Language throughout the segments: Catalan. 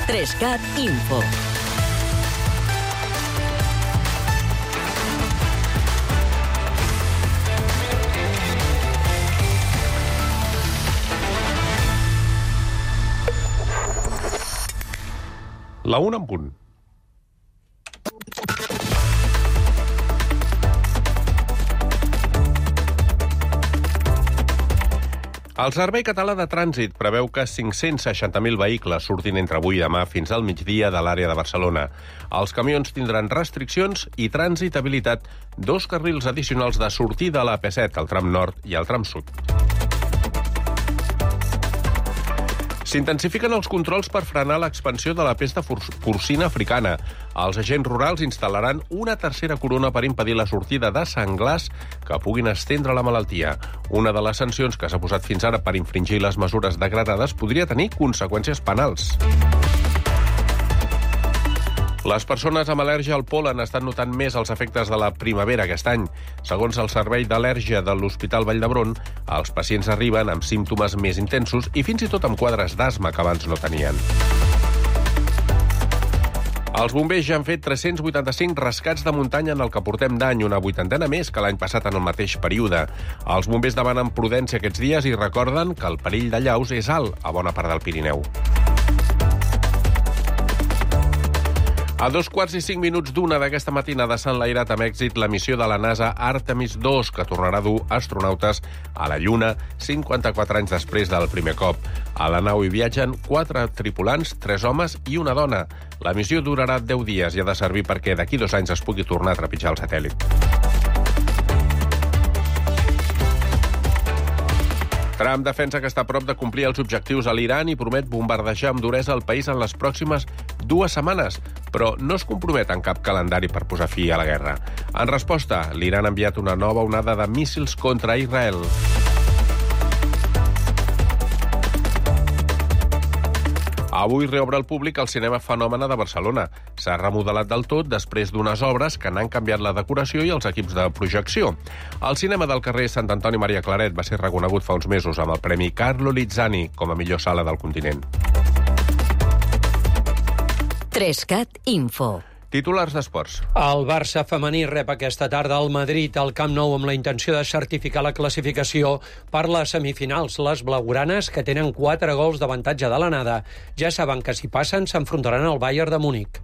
3CAT Info. La 1 en punt. El Servei Català de Trànsit preveu que 560.000 vehicles surtin entre avui i demà fins al migdia de l'àrea de Barcelona. Els camions tindran restriccions i trànsit habilitat 2 carrils addicionals de sortida a la P7, al tram nord i al tram sud. S'intensifiquen els controls per frenar l'expansió de la pesta porcina africana. Els agents rurals instal·laran una tercera corona per impedir la sortida de senglars que puguin estendre la malaltia. Una de les sancions que s'ha posat fins ara per infringir les mesures degradades podria tenir conseqüències penals. Les persones amb al·lèrgia al pol·len estan notant més els efectes de la primavera aquest any. Segons el Servei d'Al·lèrgia de l'Hospital Vall d'Hebron, els pacients arriben amb símptomes més intensos i fins i tot amb quadres d'asma que abans no tenien. Els bombers ja han fet 385 rescats de muntanya en el que portem d'any, una 80ena més que l'any passat en el mateix període. Els bombers demanen prudència aquests dies i recorden que el perill d'allaus és alt a bona part del Pirineu. A 2:05 d'aquesta matinada s'ha enlairat amb èxit la missió de la NASA Artemis II, que tornarà a dur astronautes a la Lluna 54 anys després del primer cop. A la nau hi viatgen 4 tripulants, 3 homes i una dona. La missió durarà 10 dies i ha de servir perquè d'aquí 2 anys es pugui tornar a trepitjar el satèl·lit. Trump defensa que està a prop de complir els objectius a l'Iran i promet bombardejar amb duresa el país en les pròximes 2 setmanes, però no es compromet en cap calendari per posar fi a la guerra. En resposta, l'Iran ha enviat una nova onada de míssils contra Israel. Avui reobre al públic el Cinema Fenòmena de Barcelona. S'ha remodelat del tot després d'unes obres que n'han canviat la decoració i els equips de projecció. El cinema del carrer Sant Antoni Maria Claret va ser reconegut fa uns mesos amb el Premi Carlo Lizzani com a millor sala del continent. 3CAT Info. Titulars d'esports. El Barça femení rep aquesta tarda al Madrid al Camp Nou amb la intenció de certificar la classificació per les semifinals. Les blaugranes, que tenen 4 gols d'avantatge de l'anada, ja saben que si passen s'enfrontaran al Bayern de Múnich.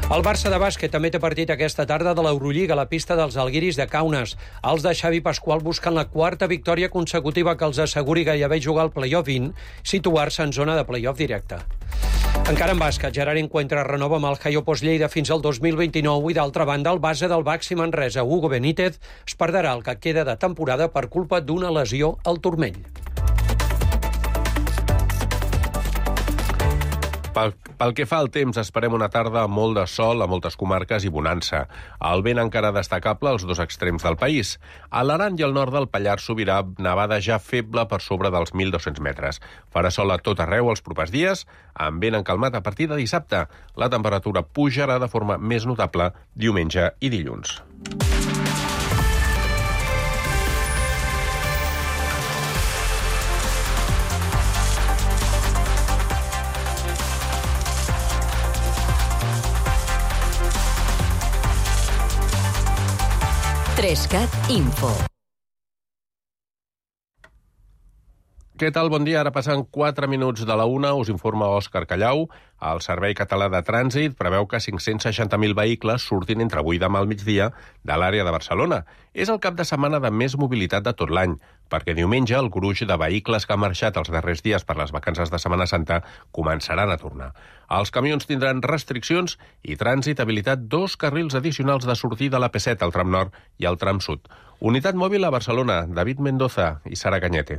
El Barça de bàsquet també té partit aquesta tarda de l'Eurolliga a la pista dels Alguiris de Kaunas. Els de Xavi Pasqual busquen la 4ª victòria consecutiva que els asseguri gairebé jugar al play-off 20, situar-se en zona de play-off directe. Encara en bàsquet, Gerard Encuentra renova amb el Jaiopos Lleida fins al 2029 i, d'altra banda, el base del Baxi Manresa, Hugo Benítez, es perdrà el que queda de temporada per culpa d'una lesió al turmell. Pel que fa al temps, esperem una tarda amb molt de sol a moltes comarques i bonança. El vent encara destacable als 2 extrems del país. A l'Aran i al nord del Pallars sobirà nevada ja feble per sobre dels 1.200 metres. Farà sol a tot arreu els propers dies, amb vent encalmat a partir de dissabte. La temperatura pujarà de forma més notable diumenge i dilluns. Trescat Info. Què tal? Bon dia. Ara passen 4 minuts de la 1. Us informa Òscar Callau. El Servei Català de Trànsit preveu que 560.000 vehicles surtin entre avui i demà al migdia de l'àrea de Barcelona. És el cap de setmana de més mobilitat de tot l'any, perquè diumenge el gruix de vehicles que han marxat els darrers dies per les vacances de Setmana Santa començaran a tornar. Els camions tindran restriccions i trànsit habilitat 2 carrils addicionals de sortida a la P7, al tram nord i al tram sud. Unitat mòbil a Barcelona, David Mendoza i Sara Cañete.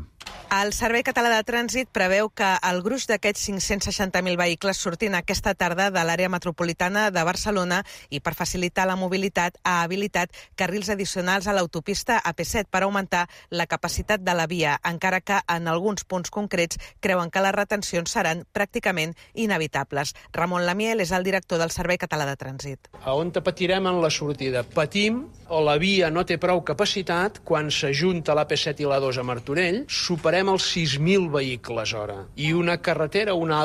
El Servei Català de Trànsit preveu que el gruix d'aquests 560.000 vehicles surtin aquesta tarda de l'àrea metropolitana de Barcelona i, per facilitar la mobilitat, ha habilitat carrils addicionals a l'autopista AP7 per augmentar la capacitat de la via, encara que en alguns punts concrets creuen que les retencions seran pràcticament inevitables. Ramon Lamiel és el director del Servei Català de Trànsit. On patirem en la sortida? Patim o la via no té prou capacitat quan s'ajunta l'AP7 i la 2 a Martorell, superem els 6.000 vehicles hora. I una carretera, una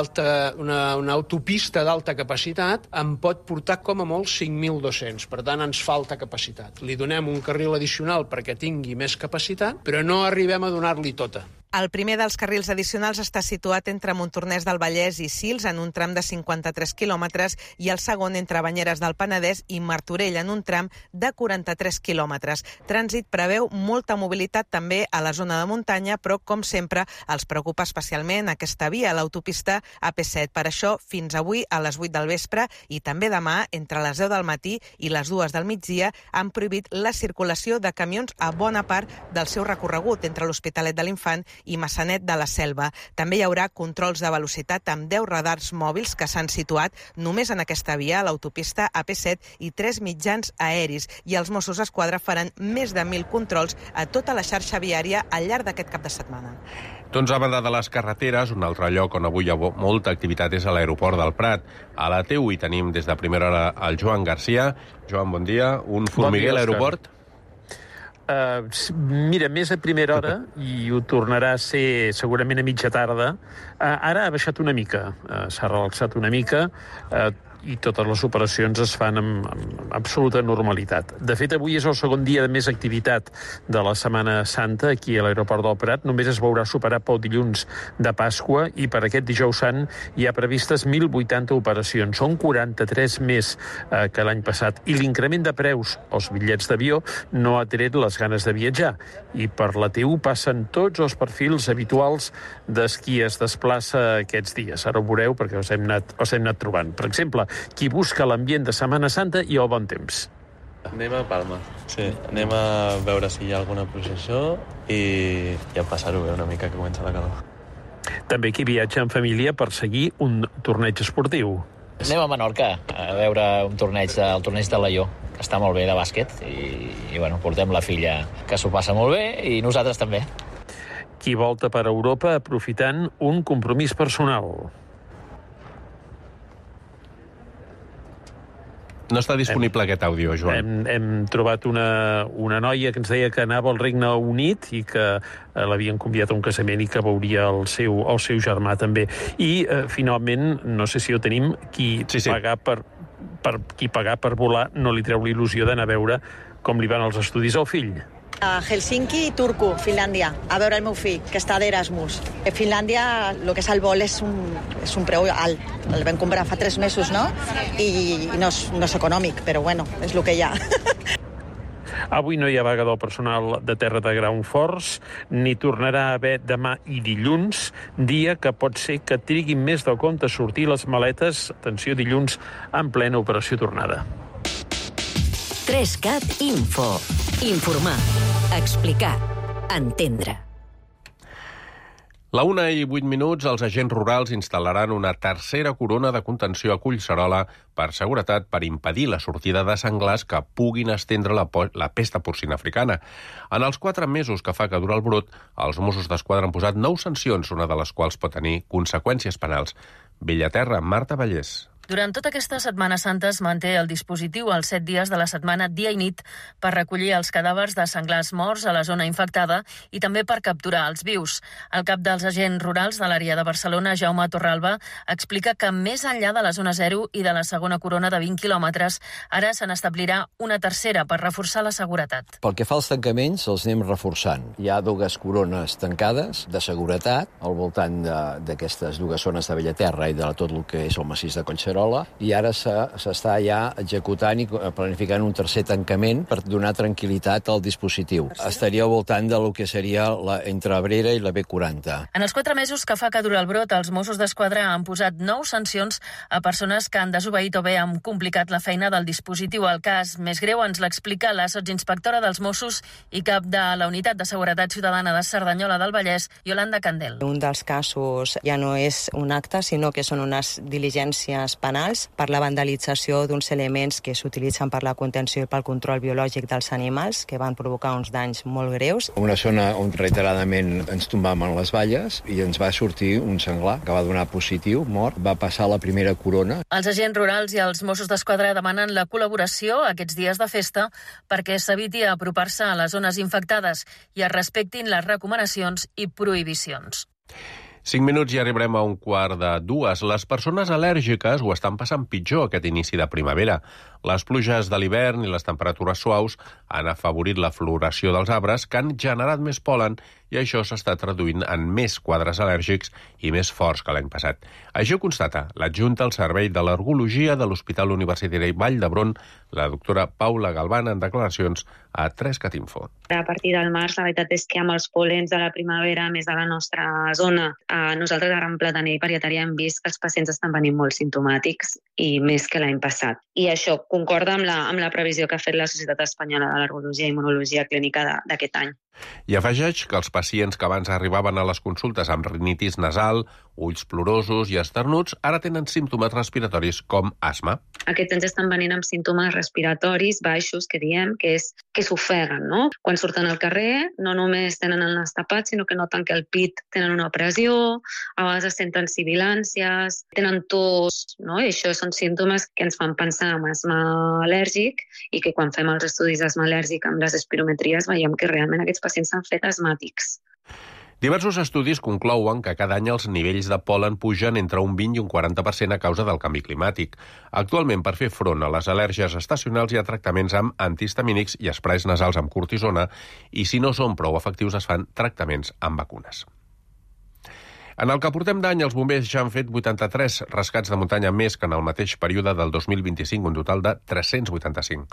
autopista d'alta capacitat em pot portar com a molt 5.200. Per tant, ens falta capacitat. Li donem un carril addicional perquè tingui més capacitat, però no arribem a donar-li tota. El primer dels carrils addicionals està situat entre Montornès del Vallès i Sils, en un tram de 53 quilòmetres, i el segon entre Banyeres del Penedès i Martorell, en un tram de 43 quilòmetres. Trànsit preveu molta mobilitat també a la zona de muntanya, però, com sempre, els preocupa especialment aquesta via, l'autopista AP7. Per això, fins avui, a les 8 del vespre, i també demà, entre les 10 del matí i les 2 del migdia, han prohibit la circulació de camions a bona part del seu recorregut entre l'Hospitalet de l'Infant i Massanet de la Selva. També hi haurà controls de velocitat amb 10 radars mòbils que s'han situat només en aquesta via, a l'autopista AP7, i 3 mitjans aeris. I els Mossos d'Esquadra faran més de 1.000 controls a tota la xarxa viària al llarg d'aquest cap de setmana. Doncs a banda de les carreteres, un altre lloc on avui hi ha molta activitat és a l'aeroport del Prat. A la T1 hi tenim des de primera hora el Joan Garcia. Joan, bon dia. Un formiguer a l'aeroport? Mira, més a primera hora, i ho tornarà a ser segurament a mitja tarda. Ara ha baixat una mica, s'ha relaxat una mica, i totes les operacions es fan amb absoluta normalitat. De fet, avui és el segon dia de més activitat de la Setmana Santa aquí a l'aeroport del Prat. Només es veurà superar pel dilluns de Pasqua, i per aquest dijous sant hi ha previstes 1.080 operacions. Són 43 més que l'any passat. I l'increment de preus als bitllets d'avió no ha tret les ganes de viatjar. I per la T1 passen tots els perfils habituals de qui es desplaça aquests dies. Ara ho veureu perquè els hem anat trobant. Per exemple, qui busca l'ambient de Setmana Santa i el bon temps. Anem a Palma, sí. Anem a veure si hi ha alguna processó i a passar-ho bé una mica, que comença la calor. També qui viatja en família per seguir un torneig esportiu. Anem a Menorca a veure un torneig, el torneig de Laió, que està molt bé, de bàsquet, i bueno, portem la filla, que s'ho passa molt bé, i nosaltres també. Qui volta per Europa aprofitant un compromís personal. No està disponible aquest àudio, Joan. Hem trobat una noia que ens deia que anava al Regne Unit i que l'havien convidat a un casament i que veuria el seu germà també. I, finalment, no sé si ho tenim, qui pagar per volar no li treu l'il·lusió d'anar a veure com li van els estudis al fill. A Helsinki, Turku, Finlàndia, a veure el meu fill, que està d'Erasmus. A Finlàndia, el que és el vol és un preu alt. El vam comprar fa 3 mesos, no? I no és econòmic, però bueno, és el que hi ha. Avui no hi ha vaga del personal de terra de Ground Force, ni tornarà a haver demà i dilluns, dia que pot ser que triguin més del compte a sortir les maletes, atenció, dilluns, en plena operació tornada. 3CAT Info. Informar, explicar, entendre. La 1:08, els agents rurals instal·laran una tercera corona de contenció a Collserola per seguretat, per impedir la sortida de senglars que puguin estendre la pesta porcina africana. En els 4 mesos que fa que dura el brot, els Mossos d'Esquadra han posat 9 sancions, una de les quals pot tenir conseqüències penals. Bellaterra, Marta Vallès. Durant tota aquesta Setmana Santa es manté el dispositiu als 7 dies de la setmana, dia i nit, per recollir els cadàvers de senglars morts a la zona infectada i també per capturar els vius. El cap dels agents rurals de l'àrea de Barcelona, Jaume Torralba, explica que més enllà de la zona 0 i de la segona corona de 20 quilòmetres, ara se n'establirà una tercera per reforçar la seguretat. Pel que fa als tancaments, els anem reforçant. Hi ha 2 corones tancades de seguretat al voltant d'aquestes 2 zones de Bellaterra i de tot el que és el massís de Collserola, i ara s'està ja executant i planificant un tercer tancament per donar tranquil·litat al dispositiu. Estaria al voltant del que seria entre Abrera i la B40. En els 4 mesos que fa que dura el brot, els Mossos d'Esquadra han posat 9 sancions a persones que han desobeït o bé han complicat la feina del dispositiu. El cas més greu ens l'explica la sotsinspectora dels Mossos i cap de la Unitat de Seguretat Ciutadana de Cerdanyola del Vallès, Iolanda Candel. Un dels casos ja no és un acte, sinó que són unes diligències penals per la vandalització d'uns elements que s'utilitzen per la contenció i pel control biològic dels animals, que van provocar uns danys molt greus. Una zona on reiteradament ens tombàvem les valles i ens va sortir un senglar que va donar positiu, mort, va passar la primera corona. Els agents rurals i els Mossos d'Esquadra demanen la col·laboració aquests dies de festa perquè s'eviti apropar-se a les zones infectades i es respectin les recomanacions i prohibicions. 5 minuts i arribarem a 1:45. Les persones al·lèrgiques ho estan passant pitjor aquest inici de primavera. Les pluges de l'hivern i les temperatures suaus han afavorit la floració dels arbres que han generat més pol·len i això s'està traduint en més quadres al·lèrgics i més forts que l'any passat. Això constata l'adjunta al Servei d'Al·lergologia de l'Hospital Universitari Vall d'Hebron, la doctora Paula Galván, en declaracions a 3cat Info. A partir del març, la veritat és que amb els pol·lens de la primavera, més de la nostra zona, nosaltres a Gran Plataner i Parietària hem vist que els pacients estan venint molt simptomàtics i més que l'any passat. I això concorda amb la previsió que ha fet la Societat Espanyola d'Al·lergologia i Immunologia Clínica d'aquest any. I afegeix que els pacients que abans arribaven a les consultes amb rinitis nasal, ulls plorosos i esternuts, ara tenen símptomes respiratoris com asma. Aquests anys estan venint amb símptomes respiratoris baixos, que diem, que s'ofeguen, no? Quan surten al carrer, no només tenen el nas tapat, sinó que noten que al pit tenen una pressió, a vegades senten sibilàncies, tenen tos, no? I això són símptomes que ens fan pensar en asma al·lèrgic i que quan fem els estudis d'asma al·lèrgic amb les espirometries veiem que realment aquests pacients s'han fet asmàtics. Diversos estudis conclouen que cada any els nivells de pol·len pugen entre un 20 i un 40% a causa del canvi climàtic. Actualment, per fer front a les al·lèrgies estacionals hi ha tractaments amb antihistamínics i esprais nasals amb cortisona i si no són prou efectius es fan tractaments amb vacunes. En el que portem d'any, els bombers ja han fet 83 rescats de muntanya més que en el mateix període del 2025, un total de 385.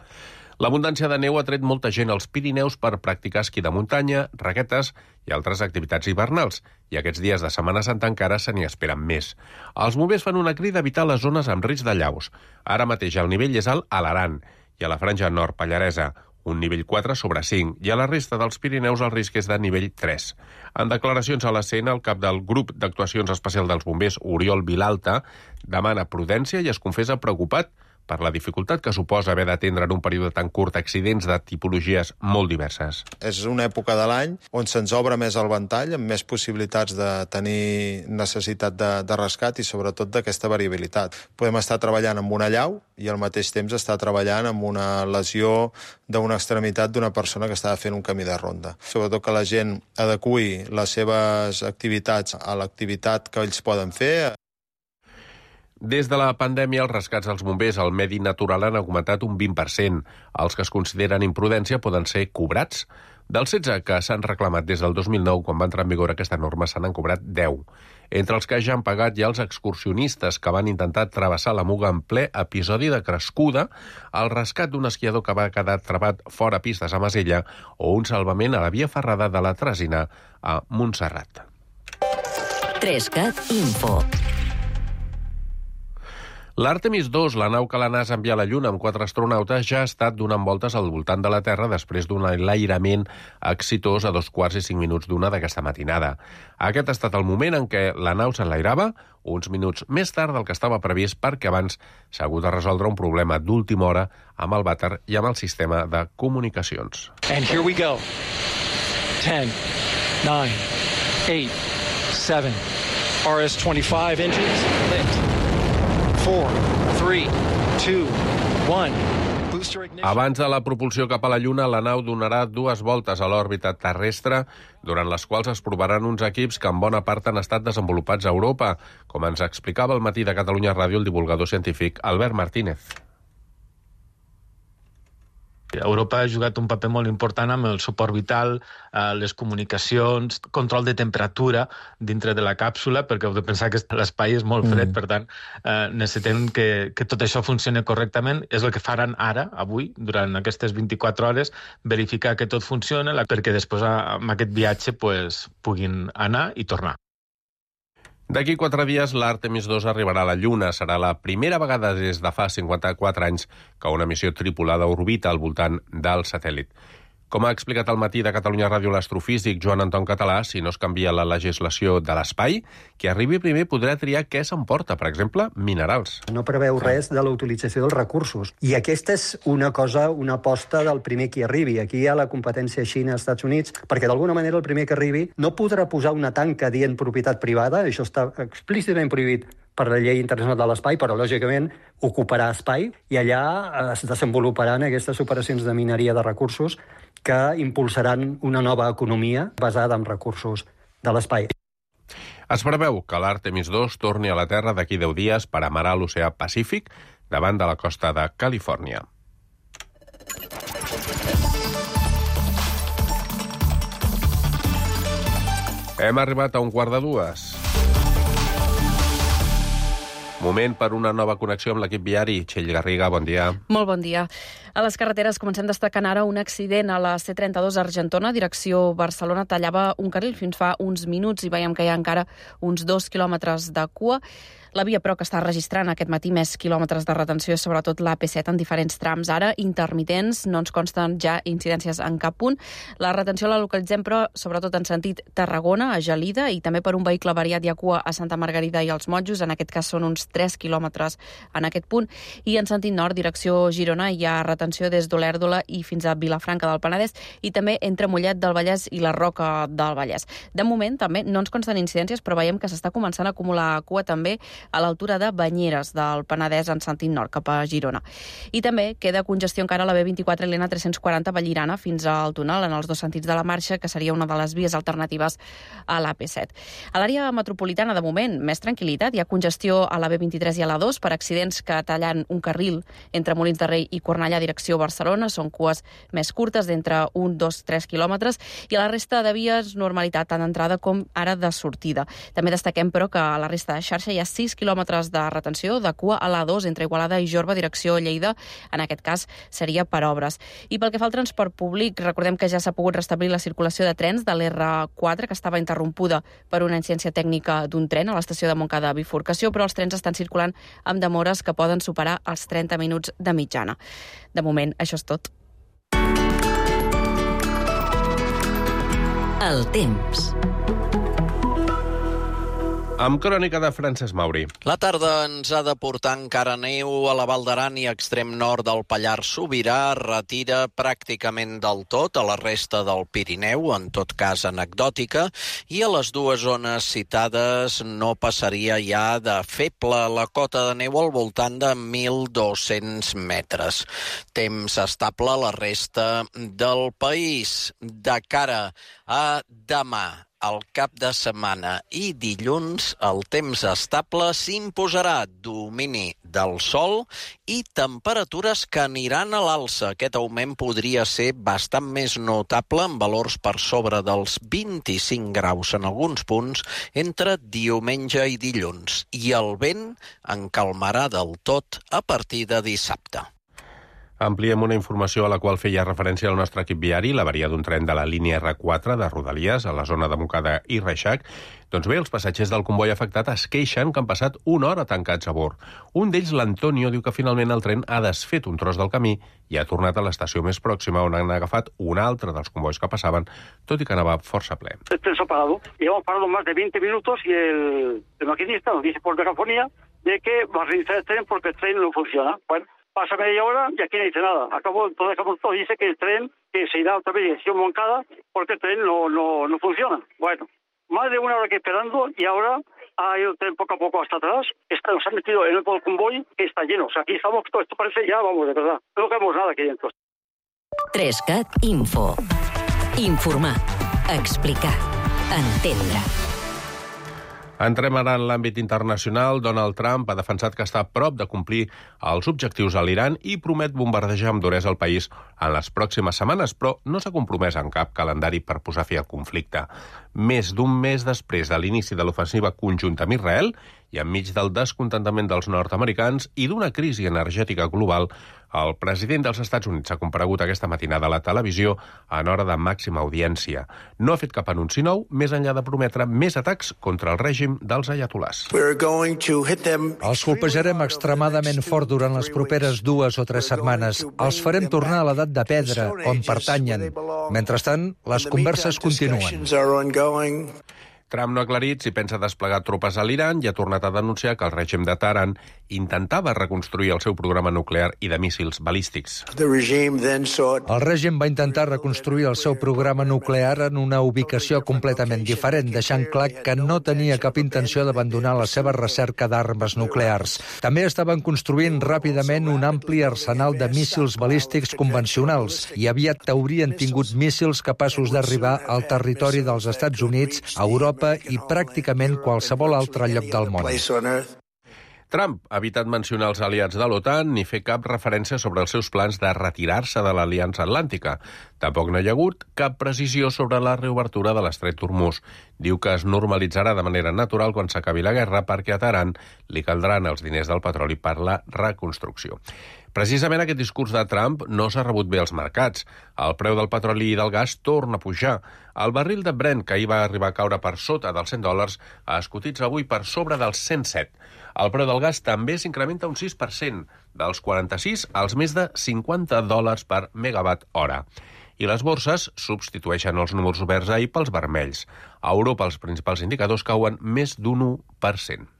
L'abundància de neu ha tret molta gent als Pirineus per practicar esquí de muntanya, raquetes i altres activitats hivernals, i aquests dies de Setmana Santa encara se n'hi esperen més. Els bombers fan una crida a evitar les zones amb risc de llaus. Ara mateix el nivell és alt a l'Aran i a la franja nord pallaresa, un nivell 4/5, i a la resta dels Pirineus el risc és de nivell 3. En declaracions a l'escena, el cap del grup d'actuacions especial dels bombers, Oriol Vilalta, demana prudència i es confessa preocupat per la dificultat que suposa haver d'atendre en un període tan curt accidents de tipologies molt diverses. És una època de l'any on se'ns obre més el ventall, amb més possibilitats de tenir necessitat de rescat i sobretot d'aquesta variabilitat. Podem estar treballant amb una llau i al mateix temps estar treballant amb una lesió d'una extremitat d'una persona que està fent un camí de ronda. Sobretot que la gent adeqüi les seves activitats a l'activitat que ells poden fer. Des de la pandèmia, els rescats als bombers al medi natural han augmentat un 20%. Els que es consideren imprudència poden ser cobrats. Dels 16 que s'han reclamat des del 2009, quan va entrar en vigor aquesta norma, se n'han cobrat 10. Entre els que ja han pagat hi ha els excursionistes que van intentar travessar la Muga en ple episodi de crescuda, el rescat d'un esquiador que va quedar travat fora pistes a Masella o un salvament a la via ferrada de la Tresina a Montserrat. 3cat Info. L'Artemis II, la nau que la NASA envia a la Lluna amb 4 astronautes, ja ha estat donant voltes al voltant de la Terra després d'un enlairament exitós a 2:45 d'aquesta matinada. Aquest ha estat el moment en què la nau s'enlairava, uns minuts més tard del que estava previst, perquè abans s'ha hagut de resoldre un problema d'última hora amb el vàter i amb el sistema de comunicacions. And here we go. 10, 9, 8, 7, RS-25 engines lit. 4, 3, 2, 1. Booster ignition. Abans de la propulsió cap a la Lluna, la nau donarà 2 voltes a l'òrbita terrestre, durant les quals es provaran uns equips que en bona part han estat desenvolupats a Europa, com ens explicava al matí de Catalunya Ràdio el divulgador científic Albert Martínez. Europa ha jugat un paper molt important amb el suport vital, les comunicacions, control de temperatura dintre de la càpsula, perquè heu de pensar que l'espai és molt fred, per tant, necessitem que tot això funcioni correctament. És el que faran ara, avui, durant aquestes 24 hores, verificar que tot funciona, perquè després amb aquest viatge puguin anar i tornar. D'aquí 4 dies, l'Artemis II arribarà a la Lluna. Serà la primera vegada des de fa 54 anys que una missió tripulada orbita al voltant del satèl·lit. Com ha explicat al matí de Catalunya Ràdio l'astrofísic Joan Anton Català, si no es canvia la legislació de l'espai, qui arribi primer podrà triar què s'emporta, per exemple, minerals. No preveu res de la utilització dels recursos. I aquesta és una aposta del primer qui arribi. Aquí hi ha la competència Xina-Estats Units, perquè d'alguna manera el primer que arribi no podrà posar una tanca dient propietat privada, això està explícitament prohibit per la llei internacional de l'espai, però lògicament ocuparà espai i allà es desenvoluparan aquestes operacions de mineria de recursos que impulsaran una nova economia basada en recursos de l'espai. Es preveu que l'Artemis 2 torni a la Terra d'aquí 10 dies per amarar l'oceà Pacífic davant de la costa de Califòrnia. Hem arribat a 1:45. Moment per una nova connexió amb l'equip viari. Txell Garriga, bon dia. Molt bon dia. A les carreteres comencem destacant ara un accident a la C32 Argentona, direcció Barcelona. Tallava un carril fins fa uns minuts i veiem que hi ha encara uns 2 quilòmetres de cua. La via, però, que està registrant aquest matí més quilòmetres de retenció és sobretot l'AP7 en diferents trams. Ara, intermitents, no ens consten ja incidències en cap punt. La retenció la localitzem, però, sobretot en sentit Tarragona, a Gelida, i també per un vehicle variat hi ha cua a Santa Margarida i als Monjos. En aquest cas són uns 3 quilòmetres en aquest punt. I en sentit nord, direcció Girona, hi ha retenció des d'Olèrdola i fins a Vilafranca del Penedès i també entre Mollet del Vallès i la Roca del Vallès. De moment, també, no ens consten incidències, però veiem que s'està començant a acumular cua també a l'altura de Banyeres del Penedès en sentit nord, cap a Girona. I també queda congestió encara a la B24 i l'N340 Vallirana fins al túnel en els dos sentits de la marxa, que seria una de les vies alternatives a l'AP7. A l'àrea metropolitana, de moment, més tranquil·litat. Hi ha congestió a la B23 i a la 2 per accidents que tallen un carril entre Molins de Rei i Cornellà, direcció Barcelona. Són cues més curtes, d'entre 1, 2, 3 quilòmetres. I a la resta de vies, normalitat tant d'entrada com ara de sortida. També destaquem, però, que a la resta de xarxa hi ha 6 quilòmetres de retenció de cua a l'A2 entre Igualada i Jorba, direcció Lleida. En aquest cas seria per obres. I pel que fa al transport públic, recordem que ja s'ha pogut restablir la circulació de trens de l'R4, que estava interrompuda per una incidència tècnica d'un tren a l'estació de Montcada Bifurcació, però els trens estan circulant amb demores que poden superar els 30 minuts de mitjana. De moment, això és tot. El temps. Amb crònica de Francesc Mauri. La tarda ens ha de portar encara neu a la Val d'Aran i extrem nord del Pallars Sobirà. Retira pràcticament del tot a la resta del Pirineu, en tot cas anecdòtica, i a les dues zones citades no passaria ja de feble la cota de neu al voltant de 1.200 metres. Temps estable a la resta del país. De cara a demà, el cap de setmana i dilluns, el temps estable s'imposarà, domini del sol i temperatures que aniran a l'alça. Aquest augment podria ser bastant més notable, amb valors per sobre dels 25 graus en alguns punts, entre diumenge i dilluns. I el vent encalmarà del tot a partir de dissabte. Ampliem una informació a la qual feia referència el nostre equip viari, l'avaria d'un tren de la línia R4 de Rodalies a la zona de Montcada i Reixac. Doncs bé, els passatgers del comboi afectat es queixen que han passat una hora tancats a bord. Un d'ells, l'Antonio, diu que finalment el tren ha desfet un tros del camí i ha tornat a l'estació més pròxima, on han agafat un altre dels combois que passaven, tot i que anava força ple. El tren se ha parado. Llevamos parado más de 20 minutos y el maquinista nos dice por megafonía de que va a reiniciar el tren porque el tren no funciona. Bueno, pasa media hora y aquí no dice nada. Entonces todo dice que el tren que se irá otra vez dirección Moncada porque el tren no funciona. Bueno, más de una hora que esperando y ahora ha ido el tren poco a poco hasta atrás. Nos han metido en el convoy que está lleno. O sea, aquí estamos, todo esto parece ya, vamos, de verdad. No vemos nada aquí dentro. 3CAT Info. Informar, explicar, entendre. Entrem ara en l'àmbit internacional. Donald Trump ha defensat que està a prop de complir els objectius a l'Iran i promet bombardejar amb duresa el país en les pròximes setmanes, però no s'ha compromès en cap calendari per posar fi al conflicte. Més d'un mes després de l'inici de l'ofensiva conjunta amb Israel, i enmig del descontentament dels nord-americans i d'una crisi energètica global, el president dels Estats Units ha comparegut aquesta matinada a la televisió en hora de màxima audiència. No ha fet cap anunci nou, més enllà de prometre més atacs contra el règim dels ayatolás. Els colpejarem extremadament fort durant les properes 2 o 3 setmanes. Els farem tornar a l'edat de pedra, on pertanyen. Mentrestant, les converses continuen. Trump no ha aclarit si pensa desplegar tropes a l'Iran i ha tornat a denunciar que el règim de Teheran intentava reconstruir el seu programa nuclear i de míssils balístics. El règim va intentar reconstruir el seu programa nuclear en una ubicació completament diferent, deixant clar que no tenia cap intenció d'abandonar la seva recerca d'armes nuclears. També estaven construint ràpidament un ampli arsenal de míssils balístics convencionals i aviat haurien tingut míssils capaços d'arribar al territori dels Estats Units, a Europa i pràcticament qualsevol altre lloc del món. Trump ha evitat mencionar els aliats de l'OTAN ni fer cap referència sobre els seus plans de retirar-se de l'Aliança Atlàntica. Tampoc no hi ha hagut cap precisió sobre la reobertura de l'estret d'Hormuz. Diu que es normalitzarà de manera natural quan s'acabi la guerra perquè a Teheran li caldran els diners del petroli per la reconstrucció. Precisament aquest discurs de Trump no s'ha rebut bé als mercats. El preu del petroli i del gas torna a pujar. El barril de Brent, que ahir va arribar a caure per sota dels $100, es cotitza avui per sobre dels 107. El preu del gas també s'incrementa un 6%, dels 46 als més de $50 per megawatt hora. I les borses substitueixen els números verds ahir pels vermells. A Europa els principals indicadors cauen més d'un 1%.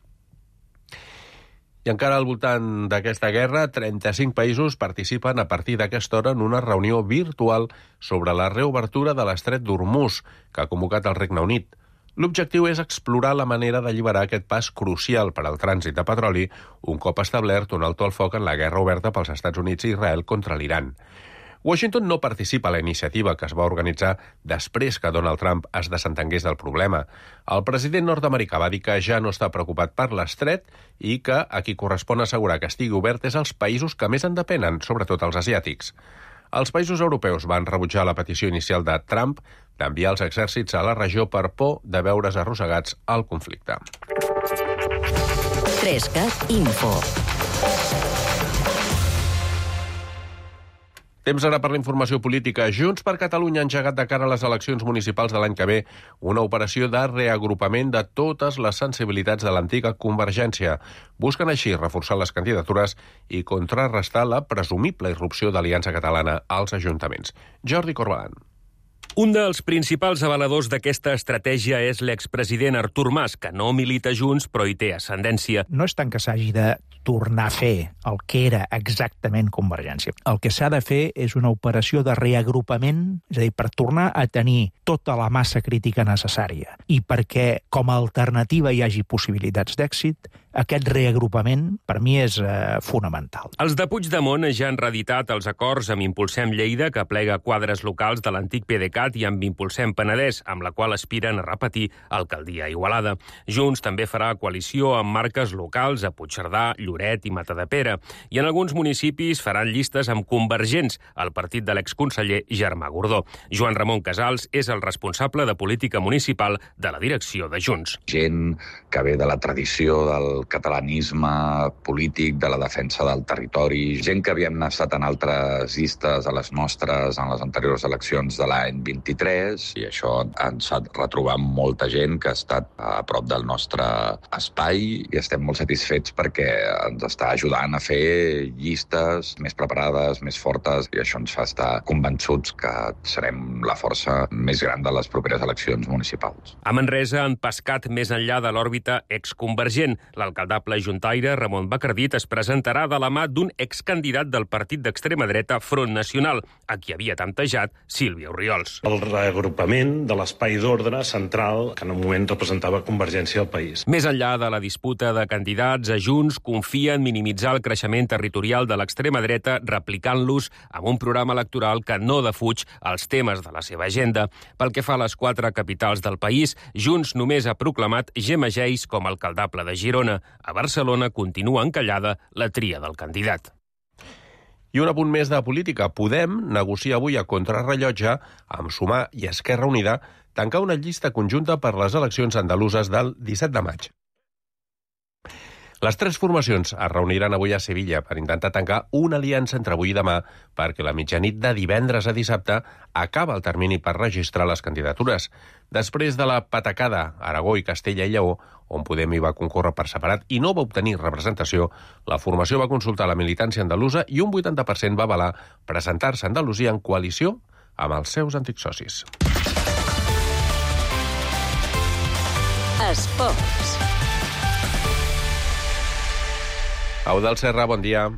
I encara al voltant d'aquesta guerra, 35 països participen a partir d'aquesta hora en una reunió virtual sobre la reobertura de l'estret d'Hormuz, que ha convocat el Regne Unit. L'objectiu és explorar la manera d'alliberar aquest pas crucial per al trànsit de petroli, un cop establert un alto al foc en la guerra oberta pels Estats Units i Israel contra l'Iran. Washington no participa a la iniciativa que es va organitzar després que Donald Trump es desentengués del problema. El president nord-americà va dir que ja no està preocupat per l'estret i que a qui correspon assegurar que estigui obert és als països que més en depenen, sobretot els asiàtics. Els països europeus van rebutjar la petició inicial de Trump d'enviar els exèrcits a la regió per por de veure's arrossegats al conflicte. 3CAT Info. Temps ara per la informació política. Junts per Catalunya ha engegat de cara a les eleccions municipals de l'any que ve una operació de reagrupament de totes les sensibilitats de l'antiga Convergència. Busquen així reforçar les candidatures i contrarrestar la presumible irrupció d'Aliança Catalana als ajuntaments. Jordi Corbalan. Un dels principals avaladors d'aquesta estratègia és l'expresident Artur Mas, que no milita Junts, però hi té ascendència. No és tant que s'hagi de tornar a fer el que era exactament Convergència. El que s'ha de fer és una operació de reagrupament, és a dir, per tornar a tenir tota la massa crítica necessària i perquè com a alternativa hi hagi possibilitats d'èxit, aquest reagrupament per mi és fonamental. Els de Puigdemont ja han reeditat els acords amb Impulsem Lleida, que plega quadres locals de l'antic PDeCAT, i amb Impulsem Penedès, amb la qual aspiren a repetir alcaldia a Igualada. Junts també farà coalició amb marques locals a Puigcerdà, Lloret i Matadepera, i en alguns municipis faran llistes amb convergents, el partit de l'exconseller Germà Gordó. Joan Ramon Casals és el responsable de política municipal de la direcció de Junts. Gent que ve de la tradició del catalanisme polític, de la defensa del territori, gent que havíem estat en altres llistes a les nostres en les anteriors eleccions de l'any 23, i això ens ha retrobat molta gent que ha estat a prop del nostre espai i estem molt satisfets perquè ens està ajudant a fer llistes més preparades, més fortes, i això ens fa estar convençuts que serem la força més gran de les properes eleccions municipals. A Manresa han pescat més enllà de l'òrbita exconvergent. L'alcaldable juntaire Ramon Bacardit es presentarà de la mà d'un excandidat del partit d'extrema dreta Front Nacional, a qui havia tantejat Sílvia Orriols. El reagrupament de l'espai d'ordre central que en un moment representava Convergència al país. Més enllà de la disputa de candidats, a Junts confia en minimitzar el creixement territorial de l'extrema dreta replicant-los amb un programa electoral que no defuig els temes de la seva agenda. Pel que fa a les 4 capitals del país, Junts només ha proclamat Gemma Geis com a alcaldable de Girona. A Barcelona continua encallada la tria del candidat. I un apunt més de política. Podem negociar avui a contrarrellotge amb Sumar i Esquerra Unida tancar una llista conjunta per les eleccions andaluses del 17 de maig. Les tres formacions es reuniran avui a Sevilla per intentar tancar una aliança entre avui i demà perquè la mitjanit de divendres a dissabte acaba el termini per registrar les candidatures. Després de la patacada Aragó i Castella i Lleó, on Podem hi va concórrer per separat i no va obtenir representació, la formació va consultar la militància andalusa i un 80% va avalar presentar-se a Andalusia en coalició amb els seus antics socis. Esports. Eudald Serra, bon dia.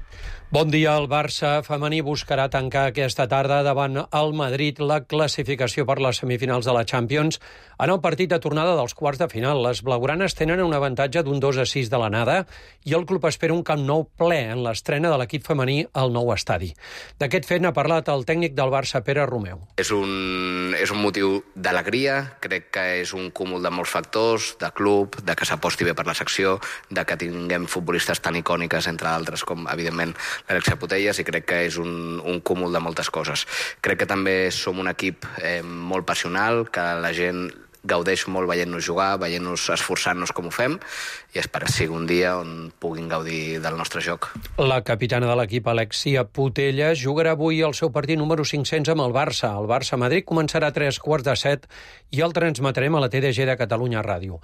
Bon dia. El Barça femení buscarà tancar aquesta tarda davant el Madrid la classificació per les semifinals de la Champions en el partit de tornada dels quarts de final. Les blaugranes tenen un avantatge d'un 2-6 de l'anada i el club espera un Camp Nou ple en l'estrena de l'equip femení al nou estadi. D'aquest fet n'ha parlat el tècnic del Barça, Pere Romeu. És un motiu d'alegria, crec que és un cúmul de molts factors, de club, de que s'aposti bé per la secció, de que tinguem futbolistes tan icòniques, entre altres, com, evidentment, l'Alexia Putellas, i crec que és un cúmul de moltes coses. Crec que també som un equip molt passional, que la gent gaudeix molt veient-nos jugar, veient-nos esforçant-nos com ho fem, i espero que sigui un dia on puguin gaudir del nostre joc. La capitana de l'equip, Alexia Putellas, jugarà avui el seu partit número 500 amb el Barça. El Barça-Madrid començarà a 3:15 i el transmetrem a la TDG de Catalunya Ràdio.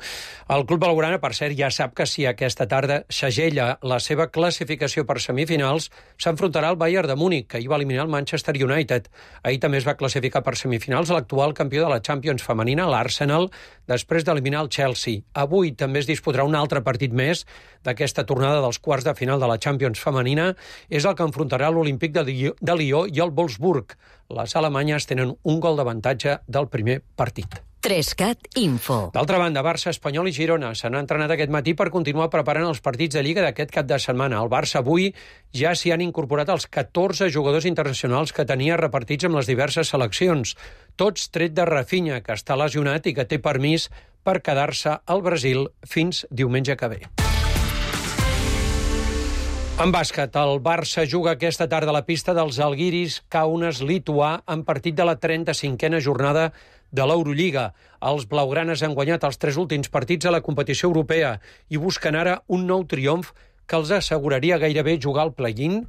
El club blaugrana, per cert, ja sap que si aquesta tarda segella la seva classificació per semifinals, s'enfrontarà al Bayern de Múnich, que hi va eliminar el Manchester United. Ahir també es va classificar per semifinals l'actual campió de la Champions femenina, l'Arsenal, després d'eliminar el Chelsea. Avui també es disputarà un altre partit més d'aquesta tornada dels quarts de final de la Champions femenina. És el que enfrontarà l'Olímpic de Lió i el Wolfsburg. Les alemanyes tenen un gol d'avantatge del primer partit. 3cat Info. D'altra banda, Barça, Espanyol i Girona s'han entrenat aquest matí per continuar preparant els partits de Lliga d'aquest cap de setmana. Al Barça avui ja s'hi han incorporat els 14 jugadors internacionals que tenia repartits amb les diverses seleccions, tots tret de Rafinha, que està lesionat i que té permís per quedar-se al Brasil fins diumenge que ve. En bàsquet, el Barça juga aquesta tarda a la pista dels Žalgiris Kaunas lituà en partit de la 35a jornada de l'Eurolliga. Els blaugranes han guanyat els 3 últims partits a la competició europea i busquen ara un nou triomf que els asseguraria gairebé jugar al play-in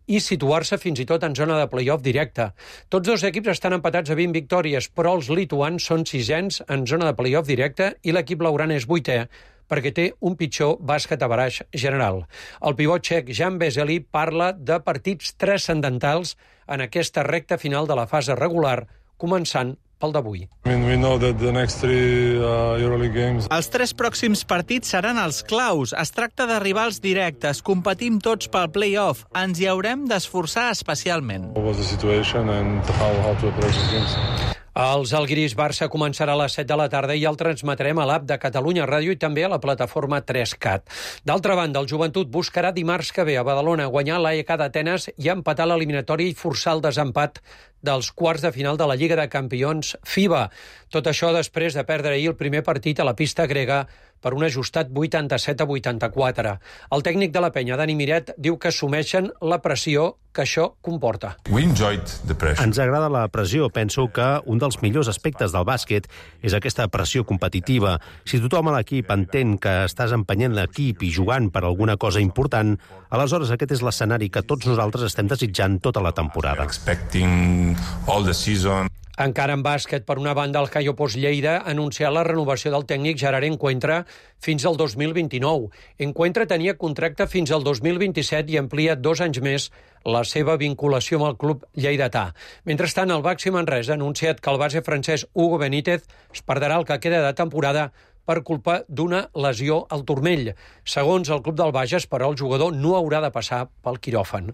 i situar-se fins i tot en zona de play-off directe. Tots dos equips estan empatats a 20 victòries, però els lituans són 6ens en zona de play-off directe i l'equip blaugrana és 8è, perquè té un pitjor bàsquet average general. El pivot txec Jan Vesely parla de partits transcendentals en aquesta recta final de la fase regular, començant pel d'avui. Els 3 pròxims partits seran els claus. Es tracta de rivals directes. Competim tots pel play-off. Ens hi haurem d'esforçar especialment. El Žalgiris-Barça començarà a les 7 de la tarda i el transmetrem a l'app de Catalunya Ràdio i també a la plataforma 3cat. D'altra banda, el Joventut buscarà dimarts que ve a Badalona guanyar l'AEK d'Atenes i empatar l'eliminatòria i forçar el desempat dels quarts de final de la Lliga de Campions FIBA. Tot això després de perdre ahir el primer partit a la pista grega per un ajustat 87-84. El tècnic de la penya, Dani Miret, diu que assumeixen la pressió que això comporta. Ens agrada la pressió. Penso que un dels millors aspectes del bàsquet és aquesta pressió competitiva. Si tothom a l'equip entén que estàs empenyent l'equip i jugant per alguna cosa important, aleshores aquest és l'escenari que tots nosaltres estem desitjant tota la temporada. Encara en bàsquet, per una banda, el Cayo Post Lleida ha anunciat la renovació del tècnic Gerard Encuentra fins al 2029. Encuentra tenia contracte fins al 2027 i amplia 2 anys més la seva vinculació amb el club lleidatà. Mentrestant, el Baxi Manresa ha anunciat que el base francès Hugo Benítez es perdrà el que queda de temporada per culpa d'una lesió al turmell. Segons el club del Bages, però, el jugador no haurà de passar pel quiròfan.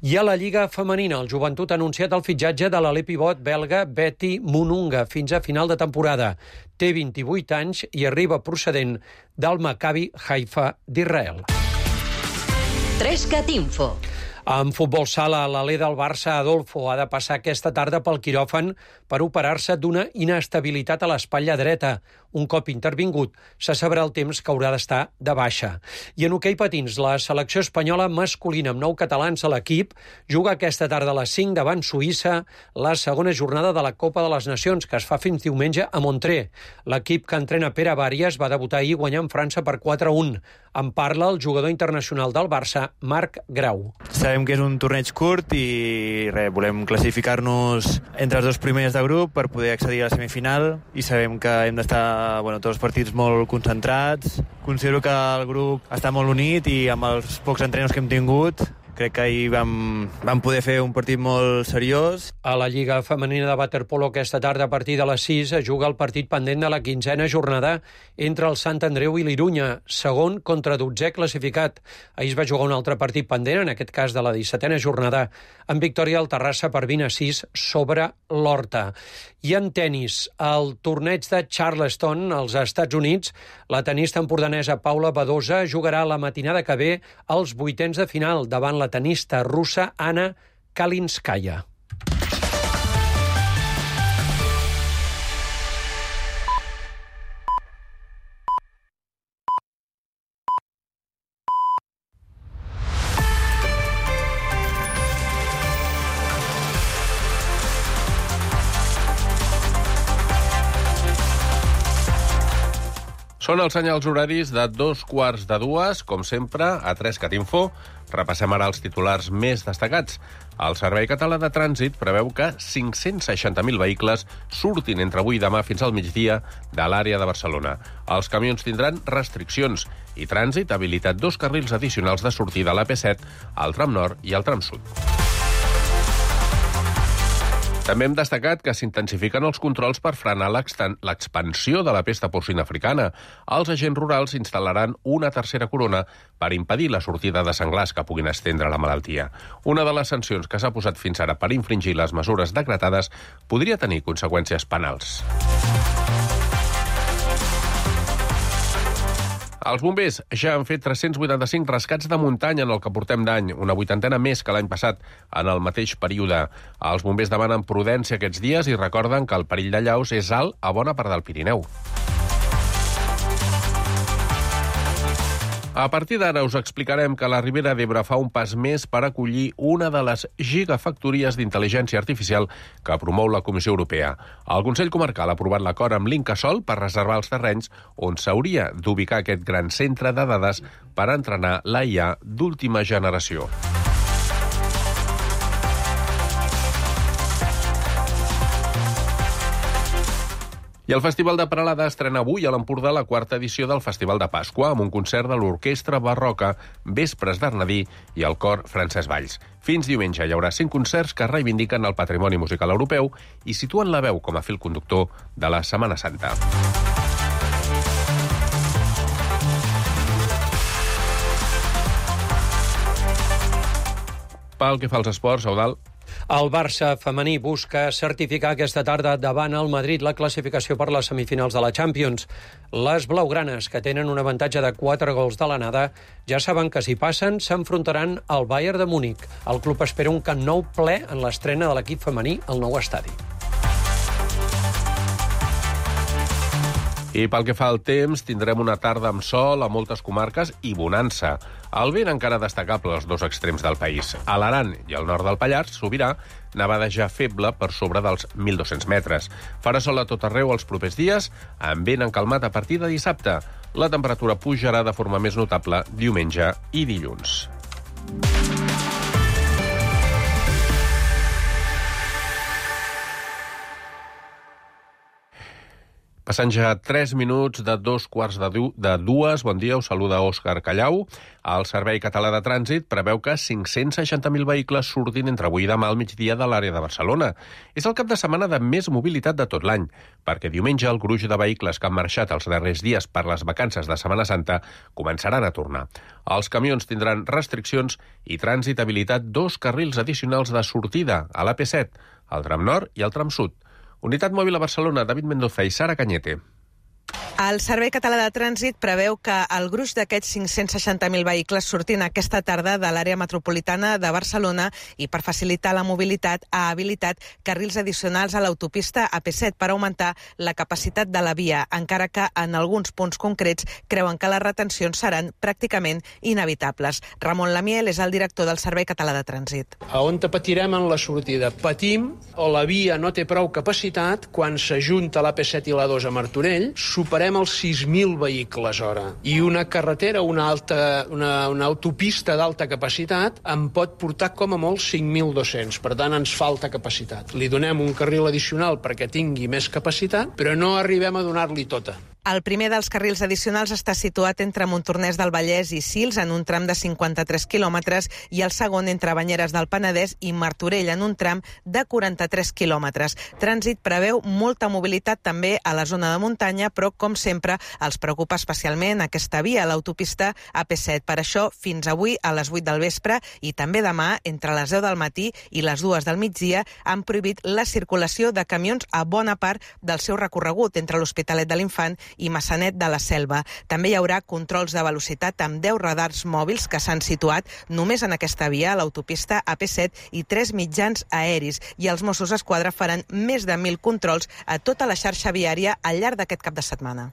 I a la Lliga femenina, el Joventut ha anunciat el fitxatge de l'alè pivot belga Betty Mununga fins a final de temporada. Té 28 anys i arriba procedent del Maccabi Haifa d'Israel. 3cat Info. En futbol sala, l'alè del Barça, Adolfo, ha de passar aquesta tarda pel quiròfan per operar-se d'una inestabilitat a l'espatlla dreta. Un cop intervingut, se sabrà el temps que haurà d'estar de baixa. I en hoquei patins, la selecció espanyola masculina amb 9 catalans a l'equip juga aquesta tarda a les 5 davant Suïssa la segona jornada de la Copa de les Nacions, que es fa fins diumenge a Montré. L'equip que entrena Pere Bàries va debutar ahir guanyant França per 4-1. En parla el jugador internacional del Barça, Marc Grau. Sabem que és un torneig curt i volem classificar-nos entre els 2 primers de grup per poder accedir a la semifinal i sabem que hem d'estar tots els partits molt concentrats. Considero que el grup està molt unit i amb els pocs entrenos que hem tingut crec que ahir vam poder fer un partit molt seriós. A la Lliga Femenina de Waterpolo aquesta tarda a partir de les 6 es juga el partit pendent de la 15a jornada entre el Sant Andreu i l'Irunya, segon contra 12è classificat. Ahir es va jugar un altre partit pendent, en aquest cas de la 17a jornada, en victòria al Terrassa per 20-6 sobre l'Horta. I en tenis, el torneig de Charleston, als Estats Units, la tenista empordanesa Paula Badosa jugarà la matinada que ve als 8ens de final davant la tenista russa Anna Kalinskaya. Són els senyals horaris de 2:15, com sempre, a 3cat Info. Repassem ara els titulars més destacats. El Servei Català de Trànsit preveu que 560.000 vehicles surtin entre avui i demà fins al migdia de l'àrea de Barcelona. Els camions tindran restriccions i Trànsit ha habilitat 2 carrils addicionals de sortida a l'AP7, al tram nord i al tram sud. També hem destacat que s'intensifiquen els controls per frenar l'expansió de la pesta porcina africana. Els agents rurals instal·laran una tercera corona per impedir la sortida de senglars que puguin estendre la malaltia. Una de les sancions que s'ha posat fins ara per infringir les mesures decretades podria tenir conseqüències penals. Els bombers ja han fet 385 rescats de muntanya en el que portem d'any, una 80ena més que l'any passat, en el mateix període. Els bombers demanen prudència aquests dies i recorden que el perill d'allaus és alt a bona part del Pirineu. A partir d'ara us explicarem que la Ribera d'Ebre fa un pas més per acollir una de les gigafactories d'intel·ligència artificial que promou la Comissió Europea. El Consell Comarcal ha aprovat l'acord amb l'Incasòl per reservar els terrenys on s'hauria d'ubicar aquest gran centre de dades per entrenar la IA d'última generació. I el Festival de Peralada estrena avui a l'Empordà la 4ª edició del Festival de Pasqua, amb un concert de l'Orquestra Barroca, Vespres d'Arnadí i el cor Francesc Valls. Fins diumenge hi haurà 5 concerts que reivindiquen el patrimoni musical europeu i situen la veu com a fil conductor de la Setmana Santa. Pel que fa als esports, Eudald. El Barça femení busca certificar aquesta tarda davant el Madrid la classificació per les semifinals de la Champions. Les blaugranes, que tenen un avantatge de 4 gols de l'anada, ja saben que si passen s'enfrontaran al Bayern de Múnich. El club espera un Camp Nou ple en l'estrena de l'equip femení al nou estadi. I pel que fa al temps, tindrem una tarda amb sol a moltes comarques i bonança. El vent encara destacable als 2 extrems del país. A l'Aran i al nord del Pallars, Sobirà, nevada ja feble per sobre dels 1.200 metres. Farà sol a tot arreu els propers dies, amb vent encalmat a partir de dissabte. La temperatura pujarà de forma més notable diumenge i dilluns. Passant ja 3 minuts de 2:15. Bon dia, us saluda Òscar Callau. El Servei Català de Trànsit preveu que 560.000 vehicles surtin entre avui i demà al migdia de l'àrea de Barcelona. És el cap de setmana de més mobilitat de tot l'any, perquè diumenge el gruix de vehicles que han marxat els darrers dies per les vacances de Setmana Santa començaran a tornar. Els camions tindran restriccions i Trànsit ha habilitat 2 carrils addicionals de sortida a l'AP7, al tram nord i al tram sud. Unitat Mòbil a Barcelona, David Mendoza i Sara Cañete. El Servei Català de Trànsit preveu que el gruix d'aquests 560.000 vehicles sortin aquesta tarda de l'àrea metropolitana de Barcelona i per facilitar la mobilitat ha habilitat carrils addicionals a l'autopista AP7 per augmentar la capacitat de la via, encara que en alguns punts concrets creuen que les retencions seran pràcticament inevitables. Ramon Lamiel és el director del Servei Català de Trànsit. A on patirem en la sortida? Patim o la via no té prou capacitat quan s'ajunta l'AP7 i la 2 a Martorell, superem els 6.000 vehicles hora. I una carretera, una autopista d'alta capacitat en pot portar com a molt 5.200. Per tant, ens falta capacitat. Li donem un carril addicional perquè tingui més capacitat, però no arribem a donar-li tota. El primer dels carrils addicionals està situat entre Montornès del Vallès i Sils, en un tram de 53 quilòmetres, i el segon entre Banyeres del Penedès i Martorell, en un tram de 43 quilòmetres. Trànsit preveu molta mobilitat també a la zona de muntanya, però, com sempre, els preocupa especialment aquesta via, l'autopista AP7. Per això, fins avui, a les 8 del vespre, i també demà, entre les 10 del matí i les 2 del migdia, han prohibit la circulació de camions a bona part del seu recorregut entre l'Hospitalet de l'Infant i Massanet de la Selva. També hi haurà controls de velocitat amb 10 radars mòbils que s'han situat només en aquesta via, l'autopista AP7, i 3 mitjans aeris. I els Mossos d'Esquadra faran més de 1.000 controls a tota la xarxa viària al llarg d'aquest cap de setmana.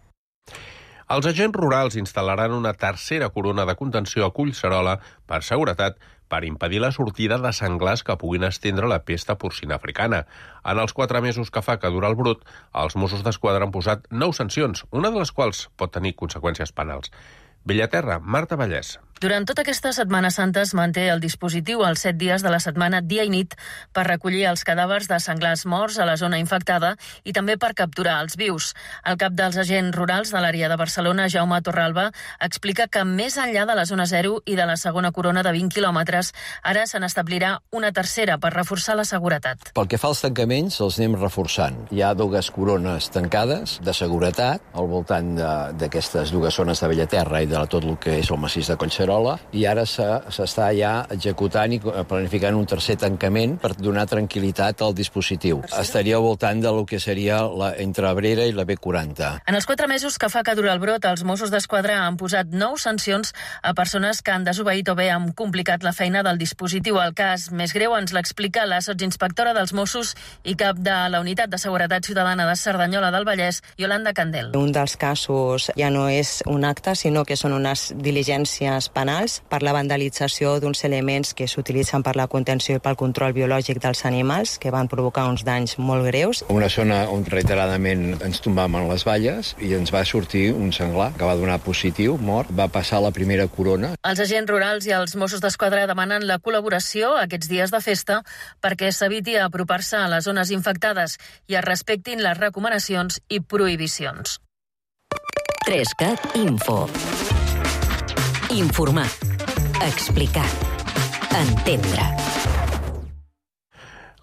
Els agents rurals instal·laran una tercera corona de contenció a Collserola per seguretat per impedir la sortida de senglars que puguin estendre la pesta porcina africana. En els 4 mesos que fa que dura el brut, els Mossos d'Esquadra han posat 9 sancions, una de les quals pot tenir conseqüències penals. Bellaterra, Marta Vallès. Durant tota aquesta Setmana Santa es manté el dispositiu els 7 dies de la setmana dia i nit per recollir els cadàvers de senglars morts a la zona infectada i també per capturar els vius. El cap dels agents rurals de l'àrea de Barcelona, Jaume Torralba, explica que més enllà de la zona 0 i de la segona corona de 20 quilòmetres, ara se n'establirà una tercera per reforçar la seguretat. Pel que fa als tancaments, els anem reforçant. Hi ha 2 corones tancades de seguretat al voltant d'aquestes 2 zones de Bellaterra i de tot el que és el massís de Collserola, i ara s'està ja executant i planificant un tercer tancament per donar tranquil·litat al dispositiu. Estaria al voltant del que seria entre Abrera i la B40. En els 4 mesos que fa que dura el brot, els Mossos d'Esquadra han posat 9 sancions a persones que han desobeït o bé han complicat la feina del dispositiu. El cas més greu ens l'explica la sotsinspectora dels Mossos i cap de la Unitat de Seguretat Ciutadana de Cerdanyola del Vallès, Yolanda Candel. Un dels casos ja no és un acte, sinó que són unes diligències penals per la vandalització d'uns elements que s'utilitzen per la contenció i pel control biològic dels animals, que van provocar uns danys molt greus. Una zona on reiteradament ens tombàvem les valles i ens va sortir un senglar que va donar positiu, mort, va passar la primera corona. Els agents rurals i els Mossos d'Esquadra demanen la col·laboració aquests dies de festa perquè s'eviti apropar-se a les zones infectades i es respectin les recomanacions i prohibicions. 3CAT Info. Informar. Explicar. Entendre.